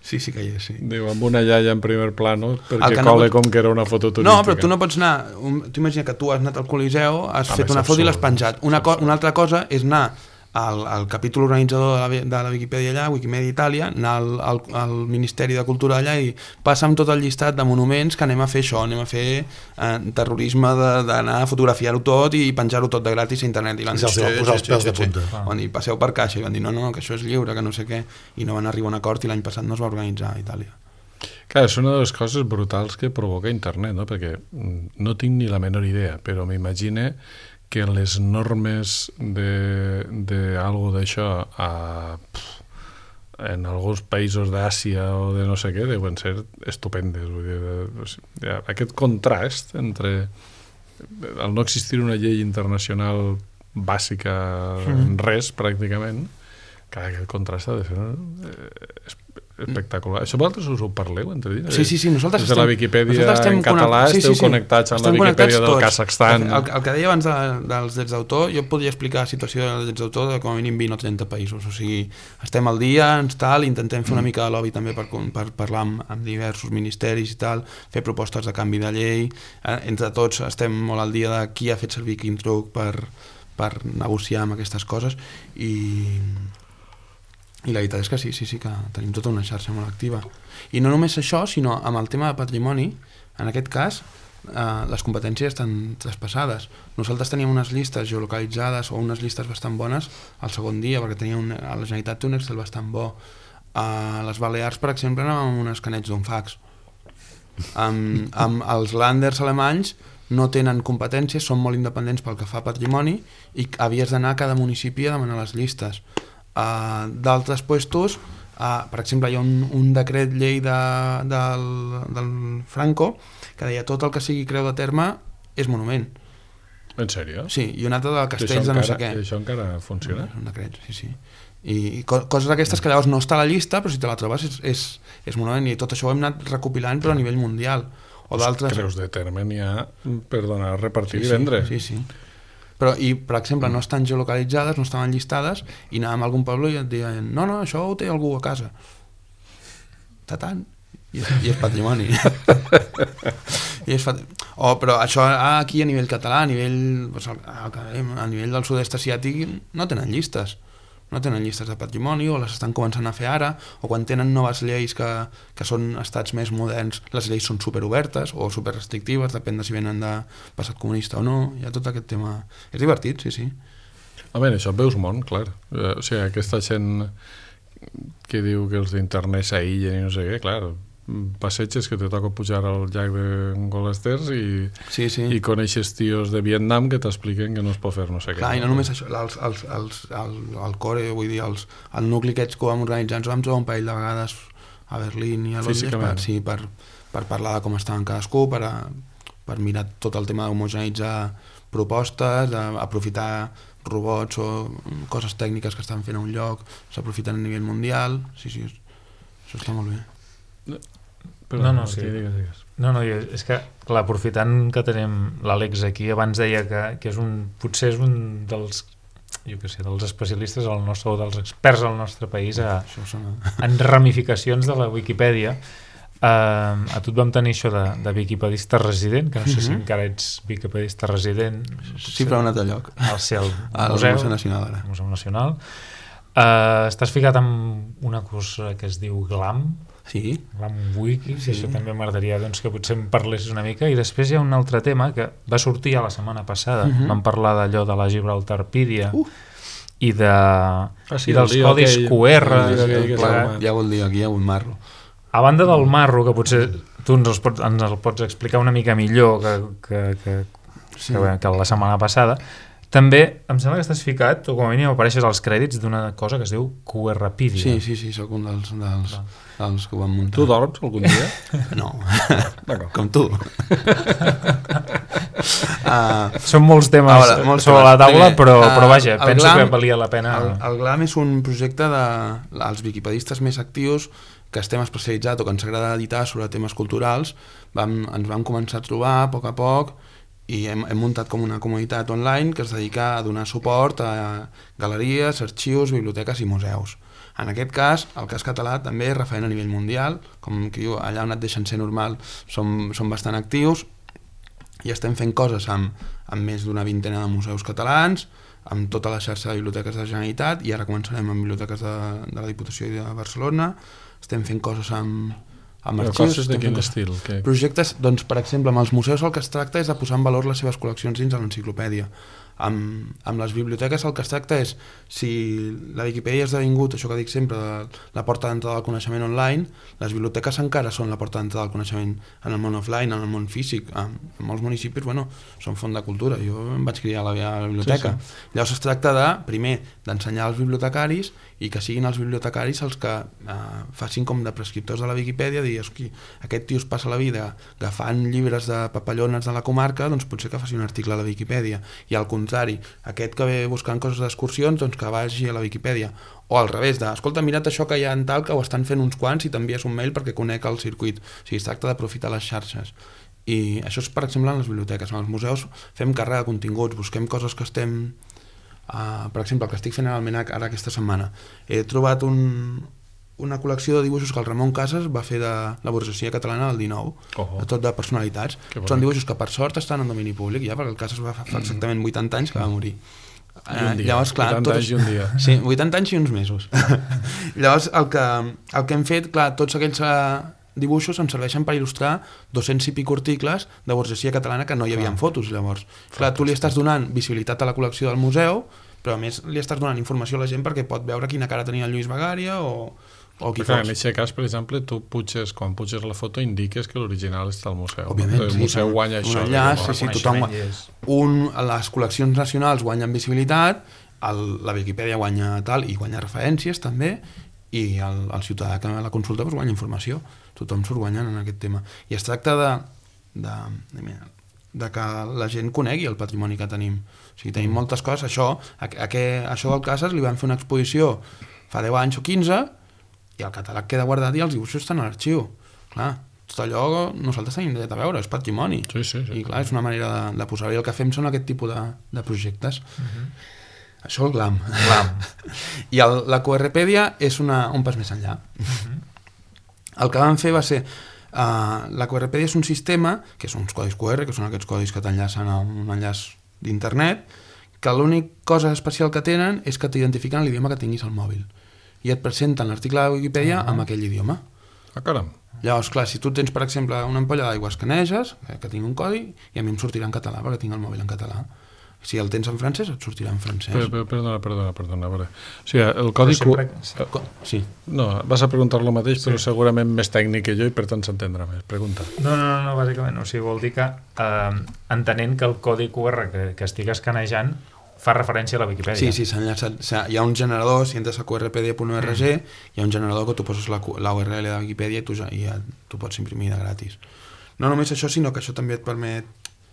Sí, sí que hi és, sí. Diu, amb una iaia en primer plano, perquè no cole pot... com que era una foto turística. No, però tu no pots anar... Un... Tu imagina que tu has anat al Coliseu, has ah, fet una foto i l'has penjat. Una, co... una altra cosa és anar al, al capítol organitzador de la, de la Wikipedia allà, Wikimedia Itàlia, anar al, al, al Ministeri de Cultura allà i passa'm tot el llistat de monuments que anem a fer això, anem a fer eh, terrorisme d'anar a fotografiar-ho tot i penjar-ho tot de gratis a internet. I van dir, sí, posar els pèls de punta. Van dir, passeu per caixa, i van dir, no, no, que això és lliure, que no sé què, i no van arribar a un acord i l'any passat no es va organitzar a Itàlia. Clar, és una de les coses brutals que provoca internet, no? Perquè no tinc ni la menor idea, però m'imagine que les normes de, de algo d'això a, en alguns països d'Àsia o de no sé què deuen ser estupendes. Vull dir, aquest contrast entre el no existir una llei internacional bàsica en res, pràcticament, que aquest contrast ha de ser eh, espectacular. Això vosaltres us ho parleu entre dins? Sí, sí, sí, nosaltres estem... Des de la Wikipedia en català sí, esteu sí, sí. connectats amb estem la Wikipedia del Kazakhstan. El, el que deia abans de, dels drets d'autor, jo podria explicar la situació dels drets d'autor de com a mínim vint o trenta països. O sigui, estem al dia, ens tal, intentem fer una mica de lobby també per, per parlar amb, amb diversos ministeris i tal, fer propostes de canvi de llei. Eh, entre tots estem molt al dia de qui ha fet servir quin truc per, per negociar amb aquestes coses i... I la veritat és que sí, sí, sí que tenim tota una xarxa molt activa. I no només això, sinó amb el tema de patrimoni, en aquest cas, eh, les competències estan traspassades. Nosaltres teníem unes llistes geolocalitzades o unes llistes bastant bones al segon dia, perquè tenia un, a la Generalitat té un Excel bastant bo. A les Balears, per exemple, anàvem amb un escaneig d'un fax. Amb, amb els Landers alemanys no tenen competències, són molt independents pel que fa a patrimoni i havies d'anar a cada municipi a demanar les llistes. Uh, d'altres puestos, uh, per exemple hi ha un, un decret llei de, del, del Franco que deia tot el que sigui creu de terme és monument. En sèrio? Sí, i un altre de castells de no sé què. I això encara funciona? És un decret, sí, sí. I, i co coses d'aquestes que llavors no està a la llista, però si te la trobes és, és, és monument, i tot això ho hem anat recopilant però a nivell mundial. O d'altres... Creus de terme n'hi ha per donar, repartir sí, i vendre. Sí, sí, sí. Però, i, per exemple, no estan geolocalitzades, no estaven llistades, i anàvem a algun poble i et deien no, no, això ho té algú a casa. Tatant. I és, i és patrimoni. I és pat... oh, però això aquí a nivell català, a nivell, a nivell del sud-est asiàtic, no tenen llistes. No tenen llistes de patrimoni, o les estan començant a fer ara, o quan tenen noves lleis que, que són estats més moderns, les lleis són superobertes o superrestrictives, depèn de si venen de passat comunista o no. Hi ha tot aquest tema. És divertit, sí, sí. A veure, això veus món, clar. O sigui, aquesta gent que diu que els d'internet s'aïllen i no sé què, clar, passeges que te toca pujar al llac de Golesters i, sí, sí. i coneixes tios de Vietnam que t'expliquen que no es pot fer no sé clar, què. I no només això, els, els, els, el, el core, vull dir, els, el nucli aquests que vam organitzar, ens vam trobar un parell de vegades a Berlín i a Londres per, sí, per, per parlar de com estaven cadascú, per, a, per mirar tot el tema d'homogeneitzar propostes, d'aprofitar robots o coses tècniques que estan fent a un lloc, s'aprofiten a nivell mundial, sí, sí, això està molt bé. No. Però no, no, sí. digues, digues. no, no, és que, clar, aprofitant que tenim l'Àlex aquí, abans deia que, que és un, potser és un dels jo què sé, dels especialistes al nostre, o dels experts al nostre país a, sona... en ramificacions de la Wikipedia. Uh, a tu et vam tenir això de, de wikipedista resident, que no sé mm-hmm. si encara ets wikipedista resident. Sí, però a un altre lloc. Al ser el al museu, Museu Nacional, ara. Museu Nacional. Uh, estàs ficat amb una cosa que es diu GLAM, sí. GLAM Wiki, sí. Això també m'agradaria doncs, que potser em parlessis una mica. I després hi ha un altre tema que va sortir ja la setmana passada, mm-hmm. vam parlar d'allò de la Gibraltarpedia, uh. i, de, ah, sí, i dels codis aquell, Q R. Ja vol dir, aquí hi ha un marro. A banda del marro, que potser tu ens, pots, ens el pots explicar una mica millor que, que, que, sí. que, que la setmana passada, també em sembla que estàs ficat, o com a mínim apareixes als crèdits d'una cosa que es diu QRpedia. Sí, sí, sí, sóc un dels, dels, dels que ho van muntar. Tu dorms algun dia? No, com tu. Uh, Són molts temes veure, molts sobre temes. La taula, primer, però, uh, però vaja, penso Glam, que valia la pena. El, el GLAM és un projecte dels wikipedistes més actius que estem especialitzats o que ens agrada editar sobre temes culturals. Vam, ens vam començar a trobar a poc a poc i hem, hem muntat com una comunitat online que es dedica a donar suport a galeries, arxius, biblioteques i museus. En aquest cas, el cas català també és referent a nivell mundial, com que diu, allà on et deixen ser normal som, som bastant actius i estem fent coses amb, amb més d'una vintena de museus catalans, amb tota la xarxa de biblioteques de la Generalitat, i ara començarem amb biblioteques de, de la Diputació de Barcelona. Estem fent coses amb, amb arxius. Coses de quin estil? Que... Projectes, doncs, per exemple, amb els museus el que es tracta és de posar en valor les seves col·leccions dins de l'enciclopèdia. Amb, amb les biblioteques el que es tracta és, si la Viquipèdia ha esdevingut, això que dic sempre, la porta d'entrada del coneixement online, les biblioteques encara són la porta d'entrada del coneixement en el món offline, en el món físic. En molts municipis, bueno, són font de cultura. Jo em vaig criar a la, a la biblioteca. Sí, sí. Llavors es tracta de, primer, d'ensenyar als bibliotecaris i que siguin els bibliotecaris els que eh, facin com de prescriptors de la Viquipèdia, dir, aquest tio es passa la vida agafant llibres de papallones de la comarca, doncs potser que faci un article a la Viquipèdia, i al contrari, aquest que ve buscant coses d'excursions, doncs que vagi a la Viquipèdia, o al revés, de, escolta, mira't això que hi ha en tal, que ho estan fent uns quants i t'envies un mail perquè conec el circuit. O sigui, es tracta d'aprofitar les xarxes. I això és, per exemple, en les biblioteques. En els museus fem càrrega de continguts, busquem coses que estem... Uh, per exemple, el que estic fent en Almenac ara aquesta setmana, he trobat un, una col·lecció de dibuixos que el Ramon Casas va fer de la burgesia catalana del dinou, oh, oh. tot de personalitats. Són dibuixos que per sort estan en domini públic ja, perquè el Casas va fa exactament vuitanta anys que va morir. Uh, llavors, clar, vuitanta anys i un dia. Sí, vuitanta anys i uns mesos. Llavors, el que, el que hem fet, clar, tots aquells uh, dibuixos ens serveixen per il·lustrar dos-cents i pico articles de burgesia catalana que no hi havia fotos, llavors. Clar, tu li estàs donant visibilitat a la col·lecció del museu, però a més li estàs donant informació a la gent perquè pot veure quina cara tenia el Lluís Bagària o, o qui clar, fos. En aquest cas, per exemple, tu puges, quan puges la foto indiques que l'original està al museu. Òbviament, el sí, museu sí. guanya això. Un enllaç, sí, sí, tothom un, les col·leccions nacionals guanyen visibilitat, el, la Viquipèdia guanya tal, i guanya referències també, i el, el ciutadà que la consulta doncs, guanya informació. Tothom surt guanyant en aquest tema. I es tracta de, de, de, de que la gent conegui el patrimoni que tenim. O sigui, tenim moltes coses. Això, a, a que, això del Casas li van fer una exposició fa deu anys o quinze i el catàleg queda guardat i els dibuixos estan a l'arxiu. Clar, tot allò nosaltres tenim dret a veure, és patrimoni. Sí, sí, sí. I clar, és una manera de, de posar-hi. El que fem són aquest tipus de, de projectes. Uh-huh. Això el GLAM. GLAM. I el, la QRpedia és una, un pas més enllà. Uh-huh. El que vam fer va ser... Uh, la QRpedia és un sistema, que són uns codis Q R, que són aquests codis que t'enllacen a un enllaç d'internet, que l'única cosa especial que tenen és que t'identifiquen l'idioma que tinguis al mòbil. I et presenten l'article de Wikipedia uh-huh. amb aquell idioma. Ah, caram. Llavors, clar, si tu tens, per exemple, una ampolla d'aigua, escaneges, que tingui un codi, i a mi em sortirà en català, perquè tinc el mòbil en català. Si el tens en francès, et sortirà en francès. Per, per, perdona, perdona, perdona. A veure. O sigui, el codi... Sempre... Sí. No, vas a preguntar lo mateix, sí. Però segurament més tècnic que jo i per tant s'entendrà més. Pregunta. No, no, no, bàsicament. O sigui, vol dir que eh, entenent que el codi Q R que, que estic escanejant fa referència a la Viquipèdia. Sí, sí, s'enllaça. Hi ha un generador, si entres a qrpedia punt org, mm. hi ha un generador que tu poses la, la U R L de la Viquipèdia i tu, ja, i ja tu pots imprimir de gratis. No només això, sinó que això també et permet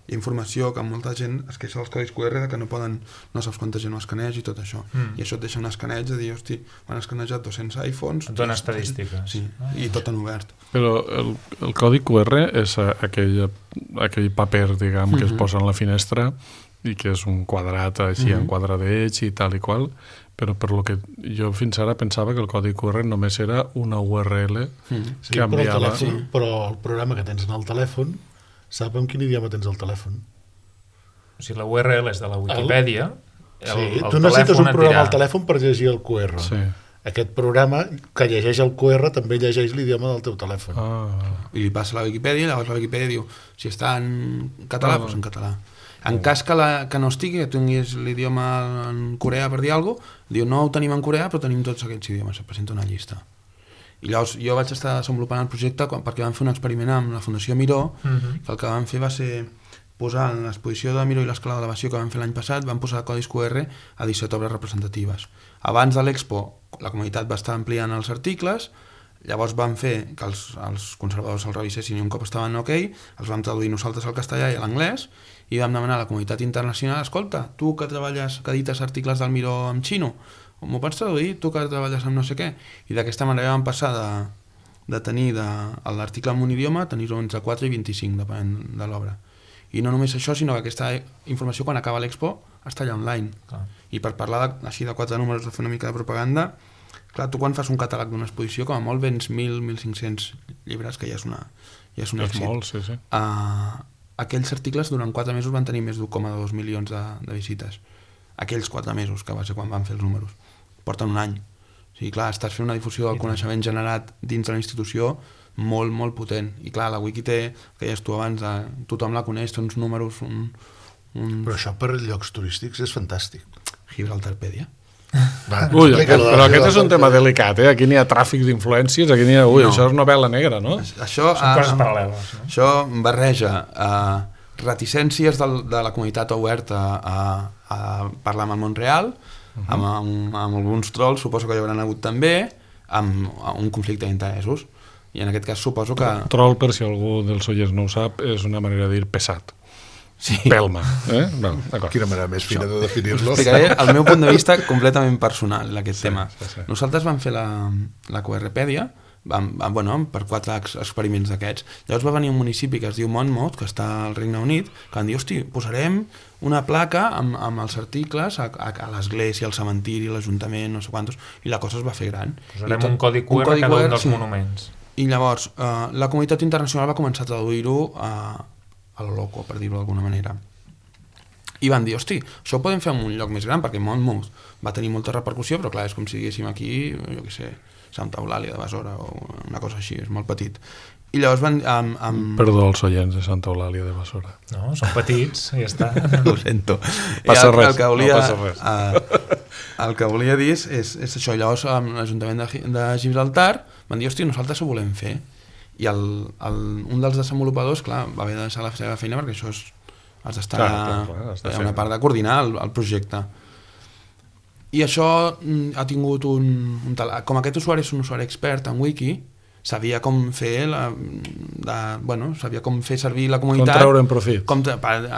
informació que molta gent es queixa dels codis Q R de que no poden, no saps quanta gent ho escaneja i tot això. Mm. I això et deixa un escaneig de dir, hosti, m'han escanejat dos-cents iPhones. Et dona estadístiques. Sí, ah, i tot en obert. Però el, el codi Q R és aquell, aquell paper, diguem, que mm-hmm. es posa en la finestra i que és un quadrat així, mm-hmm. en quadradeig i tal i qual, però per lo que jo fins ara pensava que el codi Q R només era una U R L mm. sí, que enviava... Però el, telèfon, però el programa que tens en el telèfon sap en quin idioma tens el telèfon. O sigui, la U R L és de la Wikipedia. El, sí, el tu necessites un programa dirà... al telèfon per llegir el Q R. Sí. Aquest programa que llegeix el Q R també llegeix l'idioma del teu telèfon. Ah. I li passa a la Wikipedia i llavors la Wikipedia diu si està en català, ah. doncs en català. En cas que, la, que no estigui, que tinguis l'idioma en Corea per dir alguna cosa, diu no ho tenim en Corea però tenim tots aquests idiomes, et presenta una llista. I llavors jo vaig estar desenvolupant el projecte quan, perquè vam fer un experiment amb la Fundació Miró, uh-huh. que el que vam fer va ser posar en l'exposició de Miró i l'escala d'elevació que vam fer l'any passat, vam posar codis Q R a disset obres representatives. Abans de l'Expo la comunitat va estar ampliant els articles, llavors vam fer que els, els conservadors els revisessin i un cop estaven ok, els vam traduir nosaltres al castellà i a l'anglès i vam demanar a la comunitat internacional, escolta, tu que treballes, que edites articles del Miró en xino, m'ho pots traduir? Tu que treballes amb no sé què? I d'aquesta manera vam passar de, de tenir de, l'article en un idioma a tenir-ho entre quatre i vint-i-cinc, depenent de l'obra. I no només això, sinó que aquesta informació quan acaba l'Expo està allà online. Clar. I per parlar de, així de quatre números, de fer una mica de propaganda, clar, tu quan fas un catàleg d'una exposició, com a molt vens mil, mil cinc-cents llibres, que ja és una ja és un èxit. És molt, sí, sí. Uh, aquells articles durant quatre mesos van tenir més d'un coma dos milions de, de visites. Aquells quatre mesos, que va ser quan van fer els números. Porten un any. O sigui, clar, estàs fent una difusió del coneixement generat dins de la institució molt, molt potent. I clar, la Wiki té, que deies tu abans, de, tothom la coneix, té uns números... Un, un... Però això per llocs turístics és fantàstic. Gibraltarpedia. Va, Ui, aquest, però aquest és un tema delicat, eh? Aquí n'hi ha tràfic d'influències, aquí n'hi ha... Ui, no. Això és novel·la negra, no? Això, Són coses uh, paral·leles. No? Això barreja uh, reticències de, de la comunitat oberta a, a parlar amb el món real, uh-huh. amb, amb, amb alguns trolls, suposo que hi hauran hagut també, amb, amb un conflicte d'interessos. I en aquest cas suposo que... Troll, per si algú dels oients no ho sap, és una manera de dir pesat. Sí. Pelma. Eh? Bueno, quina manera més fina de definir-lo. Explicaré el meu punt de vista completament personal d'aquest sí, tema. Sí, sí. Nosaltres vam fer la, la QRpedia vam, bueno, per quatre experiments d'aquests. Llavors va venir un municipi que es diu Monmouth, que està al Regne Unit, que van dir, hosti, posarem una placa amb, amb els articles a, a, a l'església, al cementiri, a l'Ajuntament, no sé quantos, i la cosa es va fer gran. Posarem tot, un codi Q R a cada un dels sí. monuments. I llavors eh, la comunitat internacional va començar a traduir-ho a a lo loco, per dir-ho d'alguna manera. I van dir, hosti, això ho podem fer en un lloc més gran, perquè Monmouth va tenir molta repercussió, però clar, és com si diguéssim aquí, jo què sé, Santa Eulàlia de Besora, o una cosa així, és molt petit. I llavors van... Amb, amb... Perdó als oients de Santa Eulàlia de Besora. No, són petits, i ja està. Ho sento. Passa res, el que volia, no passa res. Uh, el que volia dir és, és això, llavors amb l'Ajuntament de, de Gibraltar van dir, hosti, nosaltres ho volem fer. I el, el, un dels desenvolupadors, clar, va haver de deixar la seva feina perquè això és, has d'estar a una part de coordinar el, el projecte. I això ha tingut un, un tal... Com aquest usuari és un usuari expert en Wiki, sabia com fer la, de, bueno, sabia com fer servir la comunitat. Com treure'n profit. Com,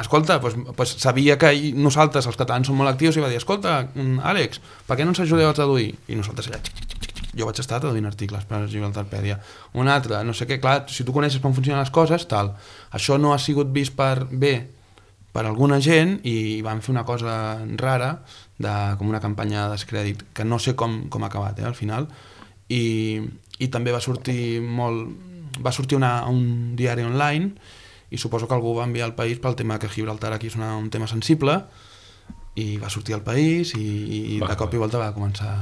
escolta, pues, pues sabia que nosaltres, els catalans, som molt actius i va dir, escolta, Àlex, per què no ens ajudeu a traduir? I nosaltres allà... Jo vaig estar traduint articles per Gibraltarpedia. Un altre, no sé què, clar, si tu coneixes com funcionen les coses, tal. Això no ha sigut vist per bé per alguna gent i van fer una cosa rara, de, com una campanya de descrèdit, que no sé com, com ha acabat, eh, al final. I, i també va sortir molt... Va sortir una, un diari online i suposo que algú va enviar al país pel tema que Gibraltar aquí és una, un tema sensible i va sortir al país i, i de cop i volta va començar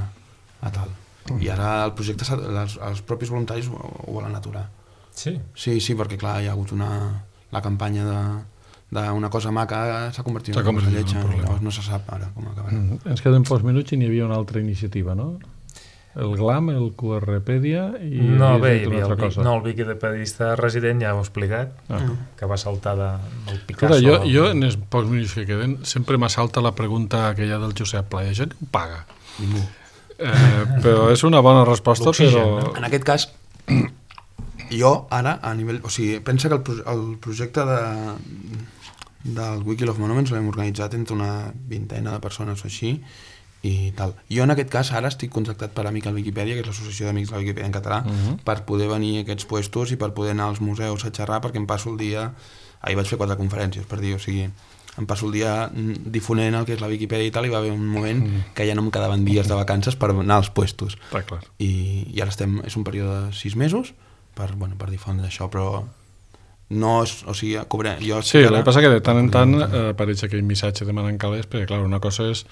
a tal. I ara el projecte, els, els propis voluntaris ho, ho volen aturar. Sí? Sí, sí, perquè clar, hi ha hagut una... La campanya de d'una cosa maca s'ha convertit en una cosa lletja, llavors no se sap ara com acabarà. Mm, ens queden pocs minuts i n'hi havia una altra iniciativa, no? El GLAM, el QRpedia i... No, bé, hi havia el, cosa. No, el wikipedista resident ja ho he explicat, ah. que va saltar de, del Picasso. Escolta, jo, jo en els pocs minuts que queden sempre m'assalta la pregunta aquella del Josep Pla, això no paga? Ningú. Eh, però és una bona resposta, però... No? En aquest cas, jo ara, a nivell... O sigui, pensa que el, pro el projecte de, del Wiki of Monuments l'hem organitzat entre una vintena de persones o així, i tal. Jo en aquest cas ara estic contractat per Amic al Wikipedia, que és l'associació d'amics de la Wikipedia en català, uh -huh. per poder venir a aquests puestos i per poder anar als museus a xerrar, perquè em passo el dia... Ahir vaig fer quatre conferències, per dir, o sigui... em passo el dia difonent el que és la Viquipèdia i tal, i va haver un moment mm. que ja no em quedaven dies de vacances per anar als puestos. Està clar. I, i ara estem, és un període de sis mesos per, bueno, per difondre això, però no és, o sigui, cobrem... Jo sí, el que passa que de tant en tant eh, apareix aquell missatge demanant calés, perquè clar, una cosa és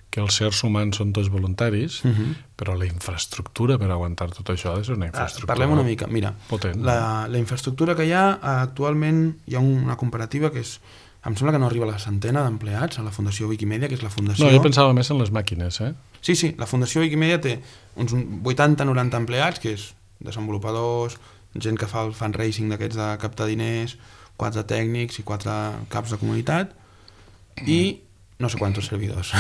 que els sers humans són tots voluntaris, uh-huh. però la infraestructura per aguantar tot això és una infraestructura... Ah, parlem una mica, mira, potent. La, la infraestructura que hi ha, actualment hi ha una comparativa que és, em sembla que no arriba a la centena d'empleats a la Fundació Wikimedia, que és la fundació... No, jo pensava més en les màquines, eh? Sí, sí, la Fundació Wikimedia té uns vuitanta noranta empleats, que és desenvolupadors, gent que fa el fundraising d'aquests de captar diners, quatre tècnics i quatre caps de comunitat, i no sé quants servidors.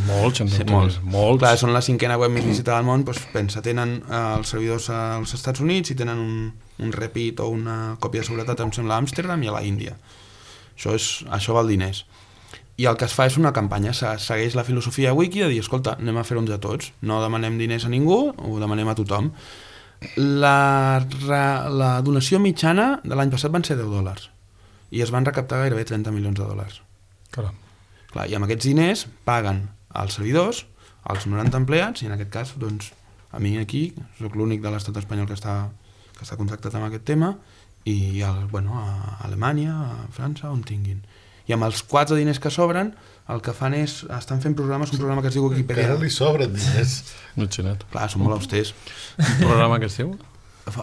Molts, en sí, molts. molts. Clar, són la cinquena web més visitada del món, doncs pensa, tenen eh, els servidors als Estats Units i tenen un, un repeat o una còpia de seguretat, em sembla, a Amsterdam i a la Índia. Això, és, això val diners. I el que es fa és una campanya, se segueix la filosofia wiki de dir, escolta, anem a fer-nos a tots, no demanem diners a ningú, ho demanem a tothom. La, la donació mitjana de l'any passat van ser deu dòlars i es van recaptar gairebé trenta milions de dòlars. Caram. Clar, i amb aquests diners paguen els servidors, els noranta empleats, i en aquest cas, doncs, a mi aquí, soc l'únic de l'estat espanyol que està, que està contractat amb aquest tema, i el, bueno, a Alemanya, a França, on tinguin. I amb els quatre diners que sobren, el que fan és, estan fent programes, un programa que es diu Wikipedia. Encara li sobren diners. No xinat. Clar, són molt austers. Un programa que es diu?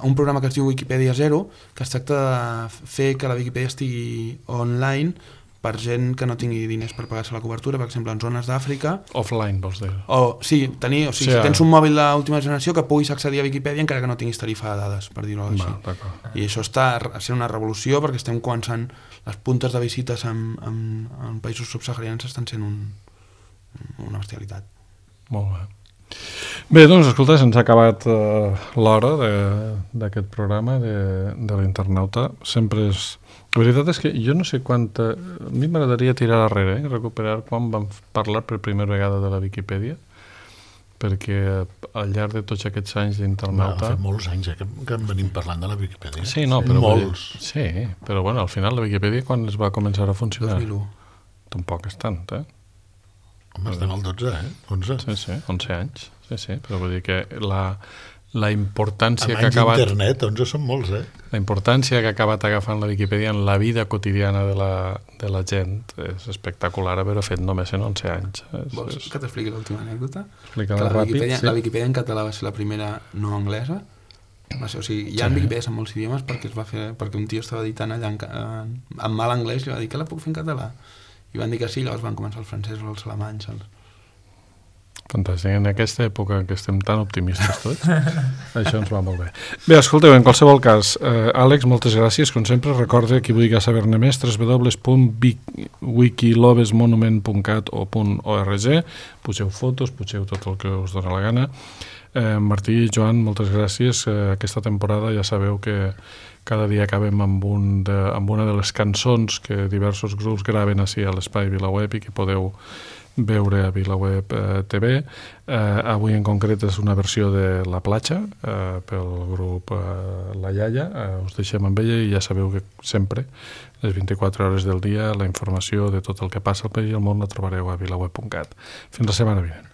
Un programa que es diu Wikipedia Zero, que es tracta de fer que la Wikipedia estigui online per gent que no tingui diners per pagar-se la cobertura, per exemple, en zones d'Àfrica. Offline, vols dir? O, sí, tenir, o sigui, sí, si tens un mòbil d'última generació que puguis accedir a Wikipedia encara que no tinguis tarifa de dades, per dir-ho així. Va, I això està sent una revolució perquè estem començant, les puntes de visites en, en, en països subsaharians estan sent un, una bestialitat. Molt bé. Bé, doncs, escolta, se'ns ha acabat uh, l'hora d'aquest programa de, de l'internauta. Sempre és... La veritat és que jo no sé quanta... A mi m'agradaria tirar darrere, eh? recuperar quan vam parlar per primera vegada de la Viquipèdia, perquè al llarg de tots aquests anys d'internauta... Va, fa molts anys eh, que, que en venim parlant de la Viquipèdia. Sí, no, però... Molts. Sí, però bueno, al final la Viquipèdia quan es va començar a funcionar? dos mil u. Tampoc és tant, eh? Home, estem al dotze, eh? onze. Sí, sí, onze anys. Sí, sí, però vull dir que la, la importància amb que ha acabat... internet, onze són molts, eh? La importància que ha acabat agafant la Viquipèdia en la vida quotidiana de la, de la gent és espectacular haver-ho fet només en onze anys. És, Vols és... que t'expliqui l'última anècdota? Explica-la la ràpid, Viquipèdia, sí. La Viquipèdia en català va ser la primera no anglesa. Va ser, o sigui, hi ha sí. Viquipèdies en molts idiomes perquè es va fer, perquè un tio estava editant allà en, en, en mal anglès i va dir que la puc fer en català. I van dir que sí, llavors van començar els francesos, els alemanys, els... Fantàstic, en aquesta època en què estem tan optimistes tots, això ens va molt bé. Bé, escolteu, en qualsevol cas, eh, Àlex, moltes gràcies, com sempre, recorde qui vulgui saber-ne més, w w w punt wikilobesmonument punt cat o .org, poseu fotos, poseu tot el que us dona la gana. Eh, Martí i Joan, moltes gràcies, eh, aquesta temporada ja sabeu que cada dia acabem amb, un de, amb una de les cançons que diversos grups graven així a l'Espai VilaWeb i que podeu veure a VilaWeb eh, T V. Eh, avui en concret és una versió de La Platja eh, pel grup eh, La Iaia. Eh, us deixem amb ella i ja sabeu que sempre, les vint-i-quatre hores del dia, la informació de tot el que passa al país i al món la trobareu a vilaweb punt cat. Fins la setmana vinent.